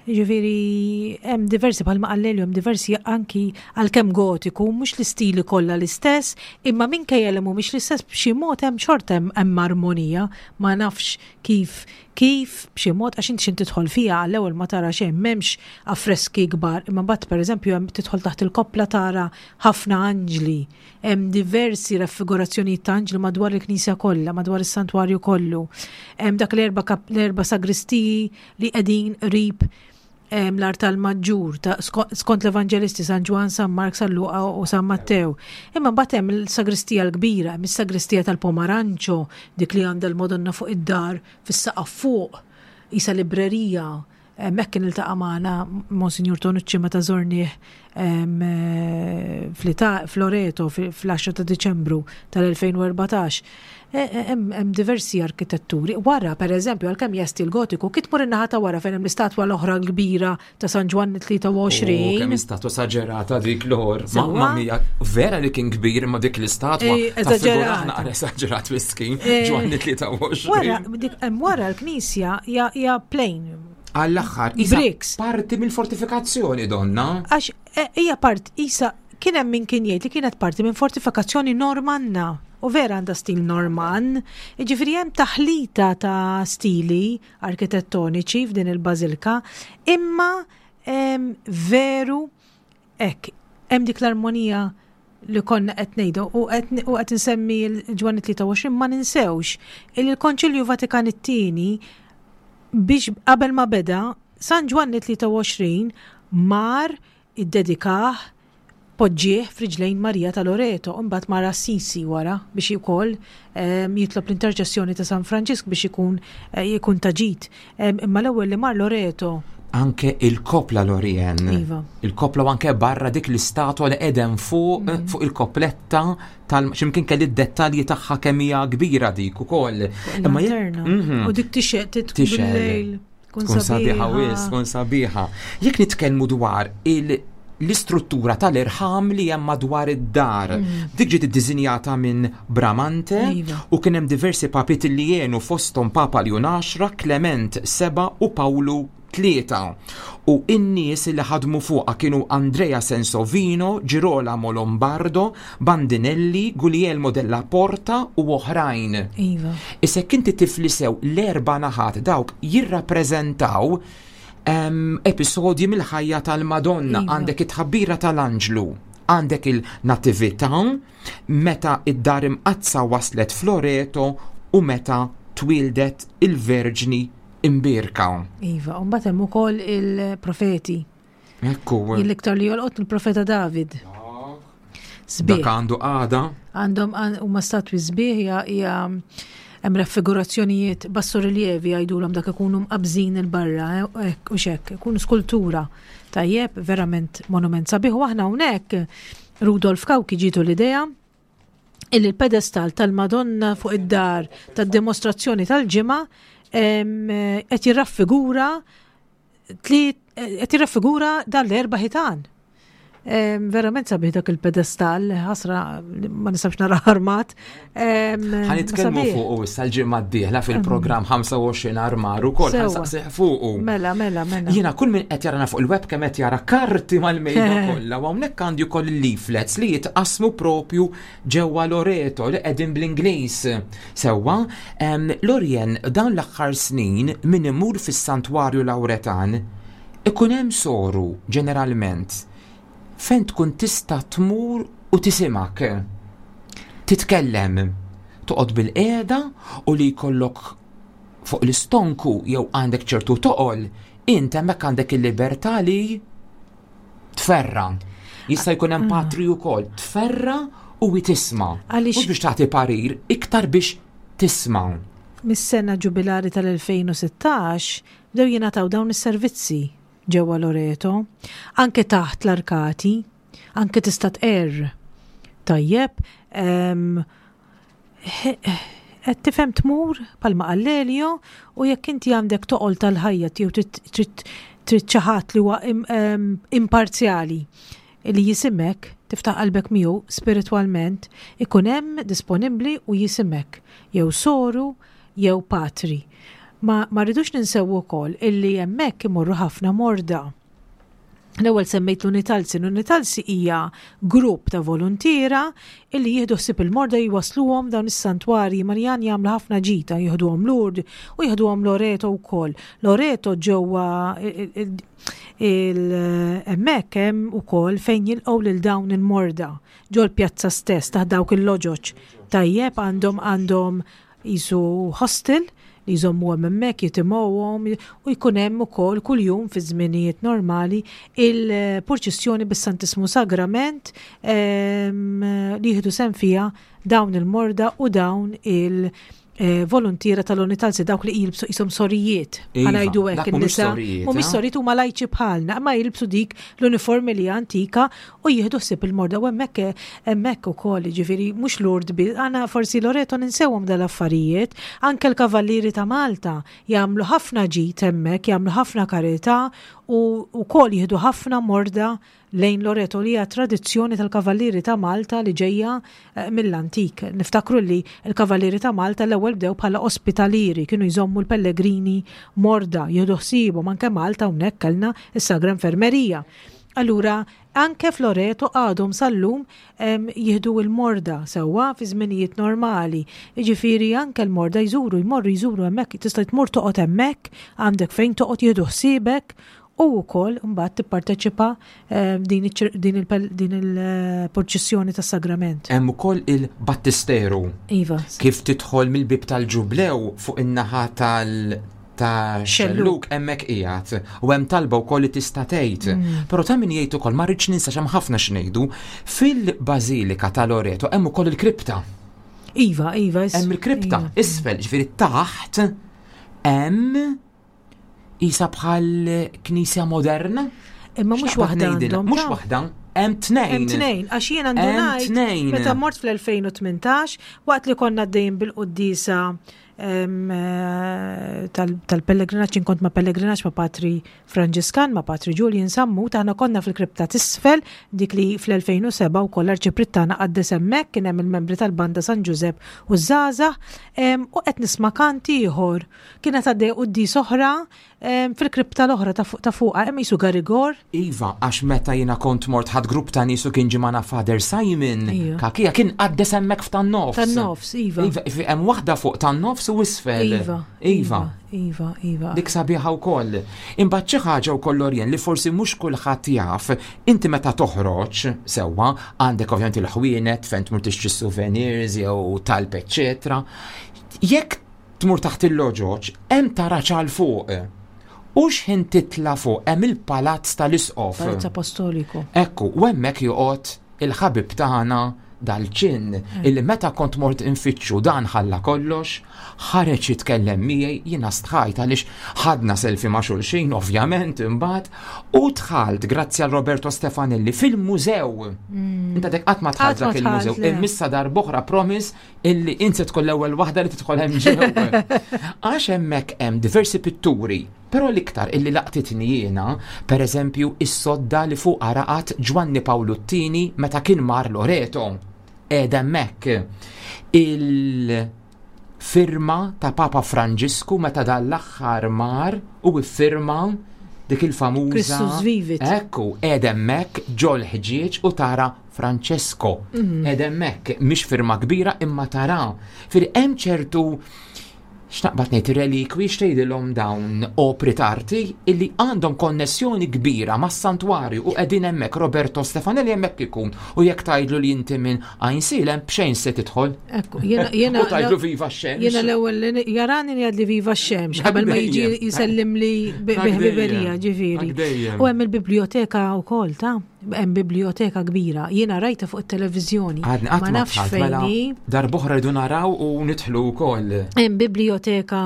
Speaker 3: Ġifieri, hemm diversi, bħalma qallelu, hemm diversi anki għalkemm gotiku, mhux l-istili kollha l-istess, imma minkejja li mhumiex l-istess, b'xi mod hemm xorta hemm hemm armonija, ma nafx kif kif b'xi mod, għax inti x'int tidħol fiha għall-ewwel ma tara xejn, m'hemmx affreski kbar, imma mbagħad, pereżempju, hemm tidħol taħt il-koppla tara ħafna anġli, hemm diversi raffigurazzjonijiet ta' anġli madwar il-knisja kollha, madwar is-santwarju kollu. Hemm dak l-erba' kap- l-erba' sagristiji li qegħdin qrib em, l-artal maġġur ta' sko- skont l-Evangelisti San Ġwan, San Mark, San Luqa u San Matteo. Imma mbagħad hemm il-sagristija l-kbira, hemm is-sagristija tal-Pomaranċo, dik li għandha l-Madonna fuq id-dar fis-saqaf fuq, isa librerija. Hemmhekk kien iltaqa' magħna Monsinjur Tonucci meta żornih em, eh, fl-Ita- F'Loreto fl-għaxra ta' Diċembru tal-elfejn u erbatax. E- e- Hemm hemm diversi arkitetturi. Wara, per eżempju, għalkemm hija stil gotiku, kif tmur in-naħa ta' wara fejn hemm l-istatwa l-oħra l-kbira ta' San Ġwanni
Speaker 2: Oh,
Speaker 3: tlieta u għoxrin.
Speaker 2: Kemm istatwa esaġerata dik l-or.
Speaker 3: Sewwa.
Speaker 2: Mamma mia, vera li kien kbir ma dik l-istatwa.
Speaker 3: Eh,
Speaker 2: Ta' figura
Speaker 3: esaġerata.
Speaker 2: naqra esaġerat miskin.
Speaker 3: Eh,
Speaker 2: Ġwanni tlieta u għoxrin.
Speaker 3: Wara, dik hemm wara l-knisja hija hija plain.
Speaker 2: Għall-aħħar, isa
Speaker 3: Bricks.
Speaker 2: parti mill-fortifikazzjoni donna.
Speaker 3: Għax eh, hija part isa kien hemm min kien jgħid li kienet parti minn fortifikazzjoni Normanna. U vera għandha stil Norman, ġifieri hemm taħlita ta' stili arkitettoniċi f'din il-bażilka, imma em, veru hekk hemm dik l-armonija li konna qed ngħidu u qed u qed insemmi l-Ġwanni tlieta u għoxrin, ma ninsewx il il-Konċilju Vatikan it-tieni, biex qabel ma beda, San Ġwanni tlieta u għoxrin mar iddedikah, poġġieħ f'riġlejn Marija ta' Loreto, u mbagħad mar Assisi wara biex ukoll em, jitlob l-interċessjoni ta' San Franġisk biex ikun eh, jkun ta' ġid. Em, Imma l-ewwel li mar Loreto.
Speaker 2: Anke il-kopla, Lorien.
Speaker 3: Iva.
Speaker 2: Il-kopla u anke barra dik l-istatwa li qegħdem fuq
Speaker 3: Mhm.
Speaker 2: fuq il-kopletta tal x'imkien kelli d-dettalji tagħha kemm hija kbira dik ukoll. Imma jekk-
Speaker 3: Lanterna.
Speaker 2: Mhm.
Speaker 3: U dik tixgħel
Speaker 2: Tixgħel.
Speaker 3: bil-lejl. Tkun
Speaker 2: Tkun sabiħa wis, tkun sabiħa. Jekk nitkellmu dwar il l-istruttura tal-irħam li hemm madwar id-dar. Dik ġiet iddisinjata minn Bramante
Speaker 3: Iva.
Speaker 2: u kien hemm diversi papiet li jenu fosthom Papa Ljun għaxra, Clement seba u Pawlu tlieta. U in-nies li ħadmu fuqha kienu Andrea Sensovino, Girolamo Lombardo, Bandinelli, Guglielmo della Porta u oħrajn.
Speaker 3: Iva.
Speaker 2: Issa jekk inti tifli sew l-erba' naħat dawk jirrappreżentaw em, episodji mill-ħajja tal-Madonna.
Speaker 3: Iva.
Speaker 2: Għandek it-tħabbira tal-Anġlu, għandek il-Natività, meta id-dar imqaddsa waslet f'Loreto u meta twildet il-Verġni Imbierka.
Speaker 3: Iva, u mbagħad hemm ukoll il-profeti.
Speaker 2: Ekku,
Speaker 3: L-iktar li jolqot il-profeta David. Sbieħ.
Speaker 2: Dak għandu għada.
Speaker 3: Għandhom għan- huma statwi sbieħ, hija hija hemm raffigurazzjonijiet, bassorilievi jgħidulhom, dak ikunu mqabżin il-barra, eh, hekk u xek, ikunu skultura. Tajjeb, verament monument sabiħ u aħna hawnhekk Rudolf Cauchi ġietu l-idea illi l-pedestal tal-Madonna fuq id-dar tad-dimostrazzjoni tal-ġimgħa qed jirraffigura qed jirraffigura dan l-erba' ħitan. Verament sabiħ dak il-pedestal, ħasra ma nistax nara armat.
Speaker 2: Ħa nitkellmu fuq issa l-ġimgħa d-dieħla fil-programm ħamsa u għoxrin armar ukoll ħa nsaqsih fuqu.
Speaker 3: Mela, mela, mela.
Speaker 2: Jiena kull min qed jarana fuq il-webcam qed jara karti mal-mejda kollha u hawnhekk għandi wkoll il-leaflets li jitqasmu propju ġewwa Loreto li qegħdin bl-Ingliż. Sewwa, Lorien, dawn l-aħħar snin min imur fis-Santwarju Lawretan ikun hemm soru ġeneralment fejn tkun tista' tmur u tisimak. Titkellem, toqgħod bil-qiegħda u li jkollok fuq l-istonku jew għandek ċertu toqol, int hemmhekk għandek il-libertà li tferra. Jista' jkun hemm patri wkoll, tferra u tisma'. Mhux biex tagħti parir, iktar biex tisma'.
Speaker 3: Mis-sena ġubilari tal-elfejn u sittax bdew jingħataw dawn is-servizzi ġewwa Loreto, anke taħt l-arkati, anke tista' tqerr. Tajjeb, qed tifhem, tmur palma għall-Elio u jekk inti għandek toqol tal-ħajja jew trid xi ħadd li huwa imparzjali li jisimek, tiftaħ qalbek miegħu spiritwalment, ikun hemm disponibbli u jisimek jew soru jew patri. Ma, ma rridux ninsew ukoll illi hemmhekk imorru ħafna morda. L-ewwel semmejt l-Unitalsi. L-Unitalsi hija grupp ta' volontiera illi jieħdu ħsieb il-morda, jwasluhom dawn is-santwarji Marjan, jagħmlu ħafna ġita, jieħduhom Lourdes u jieħduhom Loreto wkoll. Loreto ġewwa il-hemmhekk hemm ukoll fejn jilqgħu lil dawn il-morda ġol pjazza stess taħt dawk il-loġoġ. Tajjeb, għandhom għandhom jisu hostel li jżommu hemmhekk, jitimgħuhom u jkun hemm ukoll kuljum fi żminijiet normali il-purċissjoni bis-Santismu Sagrament li jieħdu sehem fiha dawn il-morda u dawn il- eh, volontiera tal-Unitalsi, dawk li jilbsu jisom sorijiet.
Speaker 2: Iva,
Speaker 3: Ħa ngħidu hekk
Speaker 2: dak mhumiex
Speaker 3: in-nisa.
Speaker 2: sorijiet,
Speaker 3: Mhumiex
Speaker 2: eh?
Speaker 3: sorijiet, huma lajċi bħalna, ma jilbsu dik l-uniformi li antika u jieħdu ħsieb il-morda u hemmhekk hemmhekk ukoll, ġifieri mhux Lourdes bi, għana forsi Loreto ninsewhom dal-affarijiet, anke l-Kavallieri ta' Malta jagħmlu ħafna ġid hemmhekk, jagħmlu ħafna karità u wkoll jieħdu ħafna morda lejn Loreto li hija tradizzjoni tal-Kavallieri ta' Malta li ġejja eh, mill-antik. Niftakru li l-Kavallieri ta' Malta l-ewwel bdew bħala ospitalieri, kienu jżommu l-pellegrini morda, jieħdu ħsiebhom. Anke Malta hawnhekk kellna is-Sagra Infermerija. Allura, anke f'Loreto għadhom sal-lum em, jieħdu il-morda sewwa fi żminijiet normali. Jiġifieri anke l-morda jżuru, jmorru jżuru hemmhekk, tista' tmur toqgħod hemmhekk, għandek fejn toqgħod, jieħdu ħsiebek u wkoll mbagħad tipparteċipa em, din iċ- din il- din il-purċissjoni tas-sagrament.
Speaker 2: Hemm ukoll il-Battisteru.
Speaker 3: Iva.
Speaker 2: Kif tidħol mill-bib tal-Ġublew fuq in-naħa tal ta'
Speaker 3: Xellug.
Speaker 2: xellug hemmhekk qiegħed u hemm talba wkoll li tista' tgħid.
Speaker 3: Mm.
Speaker 2: Però ta' min jgħid ukoll, ma rridx ninsa x'hemm ħafna x'ngħidu, fil-Bażilika ta' Loreto hemm ukoll il-kripta.
Speaker 3: Iva, iva. is-
Speaker 2: Hemm il-kripta
Speaker 3: iva.
Speaker 2: isfel, ġifieri taħt hemm isa bħal knisja moderna.
Speaker 3: Imma mhux
Speaker 2: X'naqbad
Speaker 3: waħda
Speaker 2: ngħidilha?
Speaker 3: għandhom.
Speaker 2: Mhux
Speaker 3: ta'
Speaker 2: waħda, hemm tnejn.
Speaker 3: Hemm tnejn, għax jien għandu
Speaker 2: Hemm
Speaker 3: ngħid
Speaker 2: tnejn.
Speaker 3: meta mort fl-elfejn u tmintax waqt li konna għaddejjin bil-quddisa em, eh, tal- tal-pellegrinaġġ, kont ma' pellegrinaġġ ma' Patri Franġiskan, ma' Patri Julian Sammut, aħna konna fil-kripta t'isfel, dik li fl-elfejn u sebgħa u koll arċipriet tagħna qaddes hemmhekk, kien hemm il-membri tal-banda San Ġużepp u żgħażagħ, em, u qed nisma' kanti ieħor. Kienet għaddej quddies oħra em, fil-kripta l-oħra ta' fuq ta' fuqha, hemm jisu garigor.
Speaker 2: Iva, għax meta jiena kont mort ħad grupp ta' nies u kien ġie magħna Father Simon,
Speaker 3: Ija.
Speaker 2: Kakija kien qaddes hemmhekk f'tan-nofs.
Speaker 3: Tan-nofs, iva.
Speaker 2: Iva, iva, hemm waħda fuq tan-nofs u isfel.
Speaker 3: Iva.
Speaker 2: Iva.
Speaker 3: Iva, iva.
Speaker 2: Dik sabiħa wkoll. Imbagħad xi ħaġa wkoll, Lorien, li forsi mhux kulħadd jaf, inti meta toħroġ sewwa għandek ovvjament il-ħwienet fejn tmur tixtri souvenirs jew talb, eċċetera. Jekk tmur taħt il-loġoġ, hemm taraġ għal fuq. U x'ħin titla' fuq hemm il-palazz tal-isqof.
Speaker 3: Palazz Apostoliku.
Speaker 2: Ekku, u hemmhekk joqgħod il-ħabib tagħna Dal-ġinn illi meta kont mort infittxu dan ħalla kollox, ħareġ jitkellem miegħi, jiena stħajt għaliex ħadna selfie ma' xulxin, ovvjament, imbagħad, u dħalt grazzi għal Roberto Stefanelli fil-mużew. Inta dek qatt ma dħalt
Speaker 3: Qatt ma
Speaker 2: dak il-mużew.
Speaker 3: dħalt, le.
Speaker 2: Imma issa darb'oħra promise illi inti tkun l-ewwel waħda li tidħol hemm ġew. Għax hemmhekk hemm diversi pitturi. Però l-iktar illi laqtitni jiena, per eżempju, is-sodda li fuq raqad Ġwanni Pawlu t-Tieni meta kien mar Loreto. Qiegħda hemmhekk. Il-firma ta' Papa Franġisku meta dal-aħħar mar u iffirma dik il-famuża.
Speaker 3: Christus vivit.
Speaker 2: Ekku, qiegħda hemmhekk ġol-ħġieġ u tara Francesco. Qiegħda hemmhekk, mhix firma kbira imma tara. Firri hemm ċertu, x'naqbad ngħid, relikwi, x'tgħidilhom dawn, opri t'arti illi għandhom konnessjoni kbira mas-santwarju u qegħdin hemmhekk. Roberto Stefanelli hemmhekk ikun u jekk tgħidlu li inti minn Għajnsielem, b'xejn se tidħol.
Speaker 3: Ekku, jena, jena,
Speaker 2: U tgħidlu viva x-xemx.
Speaker 3: Jena l-ewwel li jarani li għadli viva x-xemx, qabel ma jiġi
Speaker 2: Dejjem.
Speaker 3: jisellim li bi-
Speaker 2: Dak
Speaker 3: biħbiberija,
Speaker 2: dejjem.
Speaker 3: ġifieri.
Speaker 2: Dak dejjem.
Speaker 3: U hemm il-biblioteka wkoll ta' hemm biblioteka kbira. Jiena rajta fuq it-televiżjoni.
Speaker 2: Għadni qatt
Speaker 3: Ma
Speaker 2: ma
Speaker 3: nafx
Speaker 2: dħalt,
Speaker 3: fejn
Speaker 2: mela
Speaker 3: hi.
Speaker 2: darb'oħra rridu naraw u nidħlu wkoll.
Speaker 3: Hemm biblioteka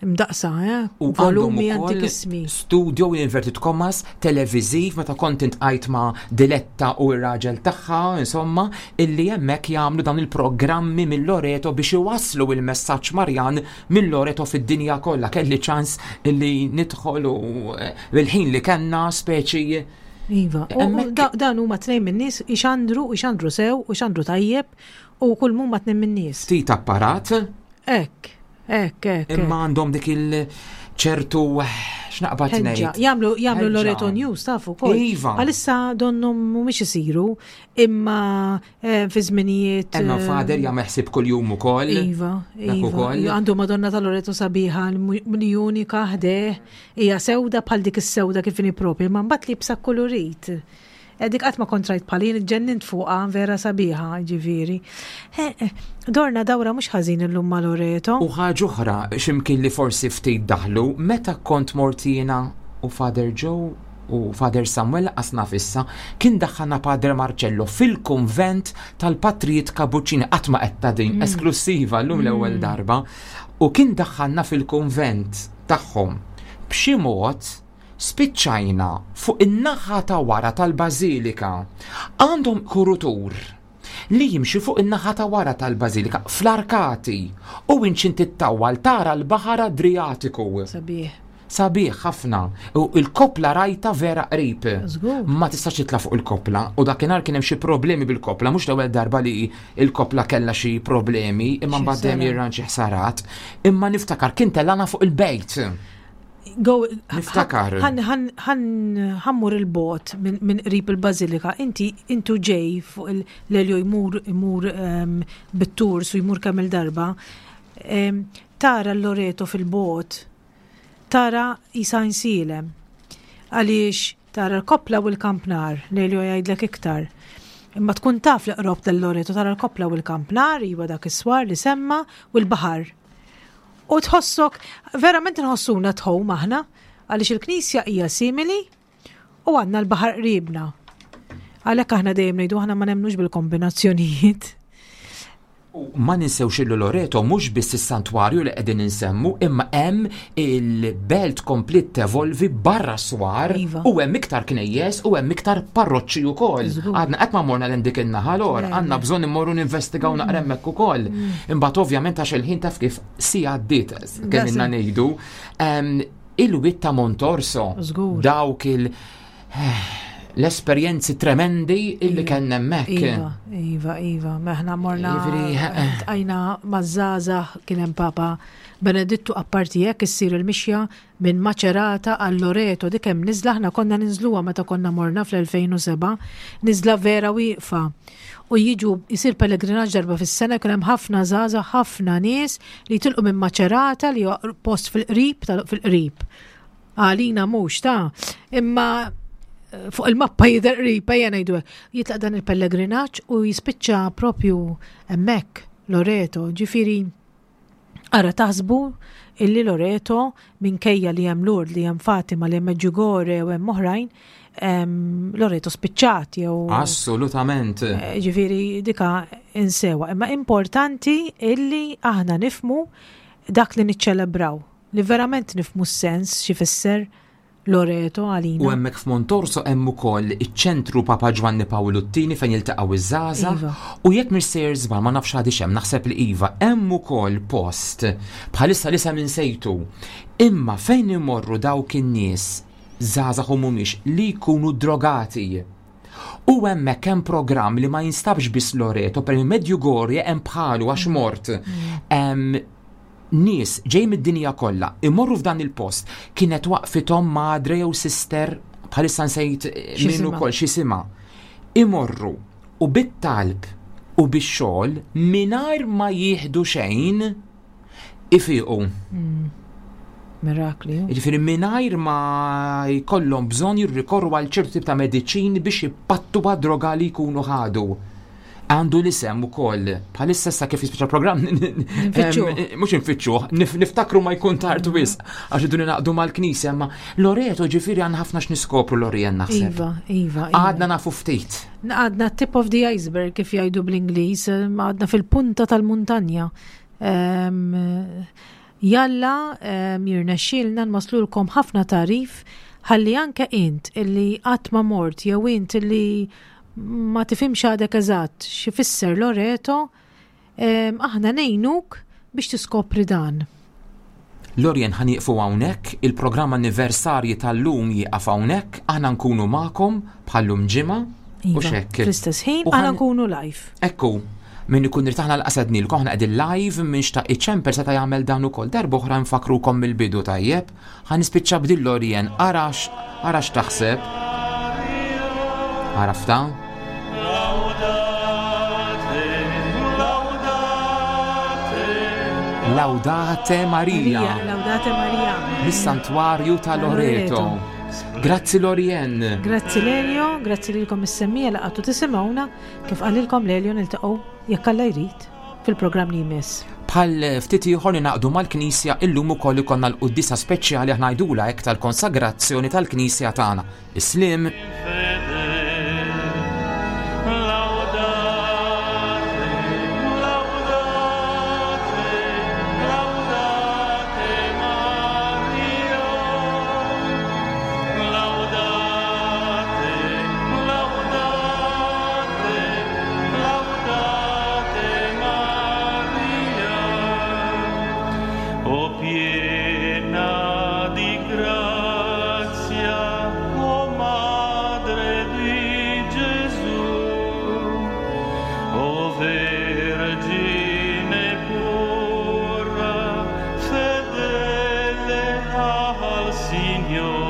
Speaker 3: mdaqsa, eh?
Speaker 2: U
Speaker 3: Volumi
Speaker 2: għandhom ukoll
Speaker 3: antikissimi.
Speaker 2: studio in inverted commas televiziv meta kont intqajt ma' Diletta u r-raġel tagħha, insomma, illi hemmhekk jagħmlu dawn il-programmi mill-Loreto biex iwasslu il-messaġġ Marjan mill-Loreto fid-dinja kollha. Kelli ċans illi nidħol u eh, bil-ħin li kellna speċi
Speaker 3: Iva, u- u
Speaker 2: Hemmhekk-
Speaker 3: da- dan huma tnejn min-nies ixandru, ixandru sew, u ixandru tajjeb, u kull mumma tnejn min-nies.
Speaker 2: Ftit apparat,
Speaker 3: Ekk, ekk, ekk.
Speaker 2: imma għandhom dik il-ċertu, x'naqbad
Speaker 3: Ħeġġa.
Speaker 2: ngħid.
Speaker 3: Jagħmlu jagħmlu
Speaker 2: Ħeġġa.
Speaker 3: Loreto News tafu wkoll.
Speaker 2: Iva.
Speaker 3: Għalissa donnhom mhumiex isiru, imma eh, fi żminijiet.
Speaker 2: Emma
Speaker 3: eh,
Speaker 2: Father jagħmel ħsieb kuljum ukoll.
Speaker 3: Iva,
Speaker 2: Dak
Speaker 3: iva.
Speaker 2: ukoll.
Speaker 3: Għandu Madonna ta' Loreto sabiħa, li unika ħdejh, hija sewda bħal dik is-sewda kif inhi propja, ma mbagħad libsa kolorit. Eh, Dik qatt ma kont rajt bħalin, ġennint fuqha, vera sabiħa, ġifieri. Eh, eh, Dorna dawra mhux ħażin illum ma' Loreto.
Speaker 2: U ħaġa oħra, x'imkien li forsi ftit daħlu, meta kont mort jiena u Father Joe u Father Samuel qasna fissa, kien daħħalna Padre Marcello fil-konvent tal-Patrijiet Kabuċini, qatt ma qed din, esklusiva llum l-ewwel darba, u kien daħħalna fil-konvent tagħhom. B'xi mod spiċċajna fuq in-naħa ta' wara tal-Bażilika. Għandhom kurutur li jimxi fuq in-naħa ta' wara tal-Bażilika fl-arkati u inċin tittawwal tara l-Baħar Adriatiku.
Speaker 3: Sabiħ.
Speaker 2: Sabiħ ħafna. U il-kopla rajta vera qrib.
Speaker 3: Żgur.
Speaker 2: Ma tistax titla' fuq il-kopla u dakinhar kien hemm xi problemi bil-kopla, mhux l-ewwel darba li il-kopla kellha xi problemi, imma
Speaker 3: Xi
Speaker 2: mbagħad dejjem
Speaker 3: ħsarat.
Speaker 2: jirran xi ħsarat. Imma niftakar kien tellana fuq il-bejt.
Speaker 3: Go,
Speaker 2: Niftakar.
Speaker 3: Ħan ħan ħammur il-bot minn min qrib il-Bazilika. Inti intu ġej fuq il-Lelio jmur jmur um, bit-tours u jmur kemm il-darba. Um, tara l-Loreto fil-bot, tara isa Għajnsielem. Għaliex tara l-kopla u l-kampnar, Lelio jgħidlek iktar. Imma tkun taf li qrob tal-Loreto tara l-kopla u l-kampnar, iwa dak is-swar li semma u l-baħar. U tħossok, verament nħossuna tħow aħna, għaliex il-knisja hija simili u għandna l-baħar qribna. Għalhekk aħna dejjem ngħidu aħna ma nemnux bil-kombinazzjonijiet.
Speaker 2: U ma ninsewx illu Loreto mhux biss is-santwarju li qegħdin insemmu, imma hemm il-belt komplet tevolvi barra swar
Speaker 3: Iva.
Speaker 2: u hemm iktar knejjes u hemm iktar parroċċi wkoll.
Speaker 3: Żgur.
Speaker 2: Għadna qatt ma morna l dik in-naħa lor,
Speaker 3: Le,
Speaker 2: għandna
Speaker 3: le.
Speaker 2: bżonn immorru ninvestigaw naqra hemmhekk ukoll. Imbagħad ovvjament għax il-ħin taf kif si għaddiet kemm
Speaker 3: Daqs.
Speaker 2: inna ngħidu. Em, Il-wied ta' Montorso,
Speaker 3: Żgur.
Speaker 2: dawk il- l-esperjenzi tremendi illi kellna hemmhekk.
Speaker 3: Iva, iva, iva, meħna morna
Speaker 2: Jiġifieri, eh.
Speaker 3: tqajna maż-żgħażagħ, kien hemm Papa Benedittu, apparti hekk issir il-mixja minn Macerata għal Loreto, dik hemm niżla, aħna konna ninżluha meta konna morna fl-elfejn u sebgħa, niżla vera wieqfa. U jiġu jisir pellegrinaġġ darba fis-sena, kien hemm ħafna żgħażagħ, ħafna nies li jitilqu minn Macerata li huwa post fil-qrib tal- fil-qrib. Għalina mhux ta' imma eh, fuq il-mappa jidher qrib, ejja ngħidu hekk. Jitlaq dan il-pellegrinaġġ u jispiċċa propju hemmhekk Loreto, ġifieri Ara taħsbu illi Loreto minkejja li hemm Lourdes, li hemm Fatima, li hemm Medjugorje u hemm oħrajn, Loreto spiċċat jew
Speaker 2: Assolutament.
Speaker 3: Eh, ġifieri dika insewa. Imma importanti illi aħna nifmu dak li niċċelebraw, li verament nifmu s-sens x'ifisser Loreto għalina.
Speaker 2: U hemmhekk f'Montorso hemm ukoll iċ-ċentru Papa Ġwanni Pawlu t-tieni fejn jiltaqgħu iż-żgħażagħ.
Speaker 3: Iva.
Speaker 2: U jekk mhix sejjer żball, ma nafx għadix hemm, naħseb li iva, hemm ukoll post bħalissa li sem insejtu. Imma fejn imorru dawk in-nies żgħażagħ u mhumiex li jkunu drogati. U hemmhekk hemm programm li ma jinstabx biss Loreto, per Medjugorje hemm bħalu għax mort. Hemm nies ġej mid-dinja kollha imorru f'dan il-post, kienet waqfithom madre jew sister, bħalissa nsejt
Speaker 3: Xi
Speaker 2: min
Speaker 3: isimha?
Speaker 2: ukoll x'isimha. Imorru u bit-talb u bix-xogħol mingħajr ma jieħdu xejn ifiqu.
Speaker 3: Mirakli.
Speaker 2: Jiġifieri mingħajr ma jkollhom bżonn jirrikorru għal ċertu tip ta' mediċini biex ipattu droga li jkunu ħadu. Għandu l-isem ukoll, bħalissa sa kif jispiċċa programm
Speaker 3: Nfittxuh.
Speaker 2: Em, mhux nfittxuh, nif- niftakru ma jkun tard wisq għax idu naqdu mal-knisja, ma Loreto ġifieri għandna ħafna x'niskopru Lorien naħseb.
Speaker 3: Iva, iva. iva.
Speaker 2: Għadna nafu ftit.
Speaker 3: Għadna tip of the iceberg kif jgħidu bl-Ingliż, għadna fil-punta tal-muntanja. Em, Jalla em, jirnexxielna nwaslulkom ħafna tagħrif ħalli anke int illi qatt ma mort jew int illi ma tifhimx għadek eżatt x'ifisser Loreto, em, aħna ngħinuk biex tiskopri dan.
Speaker 2: Lorien, ħa nieqfu hawnhekk, il-programm anniversarji tal-lum jieqaf hawnhekk, aħna nkunu magħkom bħallum ġimgħa u
Speaker 3: Iva,
Speaker 2: xekk.
Speaker 3: fl-istess ħin
Speaker 2: U
Speaker 3: aħna
Speaker 2: ħan-
Speaker 3: nkunu live.
Speaker 2: Ekku, min ikun irtaħna l-qasadnilkom, aħna qegħdin live, min xtaq iċemper seta' jagħmel dan ukoll. Darba oħra nfakrukom mill-bidu tajjeb. Ħa nispiċċa b'dil Lorien, arax, arax taħseb. Għarafta? Laudate Maria.
Speaker 3: Laudate Maria.
Speaker 2: Mis-santwarju ta' Loreto. Grazzi Lorien.
Speaker 3: Grazzi Lelio, grazzi lilkom is-semmija li qgħadtu tisimgħuna, kif qalilkom Lelio niltaqgħu jekk Alla jrid fil-programm li jmiss.
Speaker 2: Bħal ftit ieħor ningħaqdu mal-Knisja, illum ukoll ikollna l-quddiesa speċjali aħna ngħidula hekk tal-konsagrazzjoni tal-Knisja tagħna. Is-slim.
Speaker 4: Laudate, Maria, laudate, laudate, laudate Maria, o piena di grazia, o Madre di Gesù, o Vergine pura, fedele al Signore.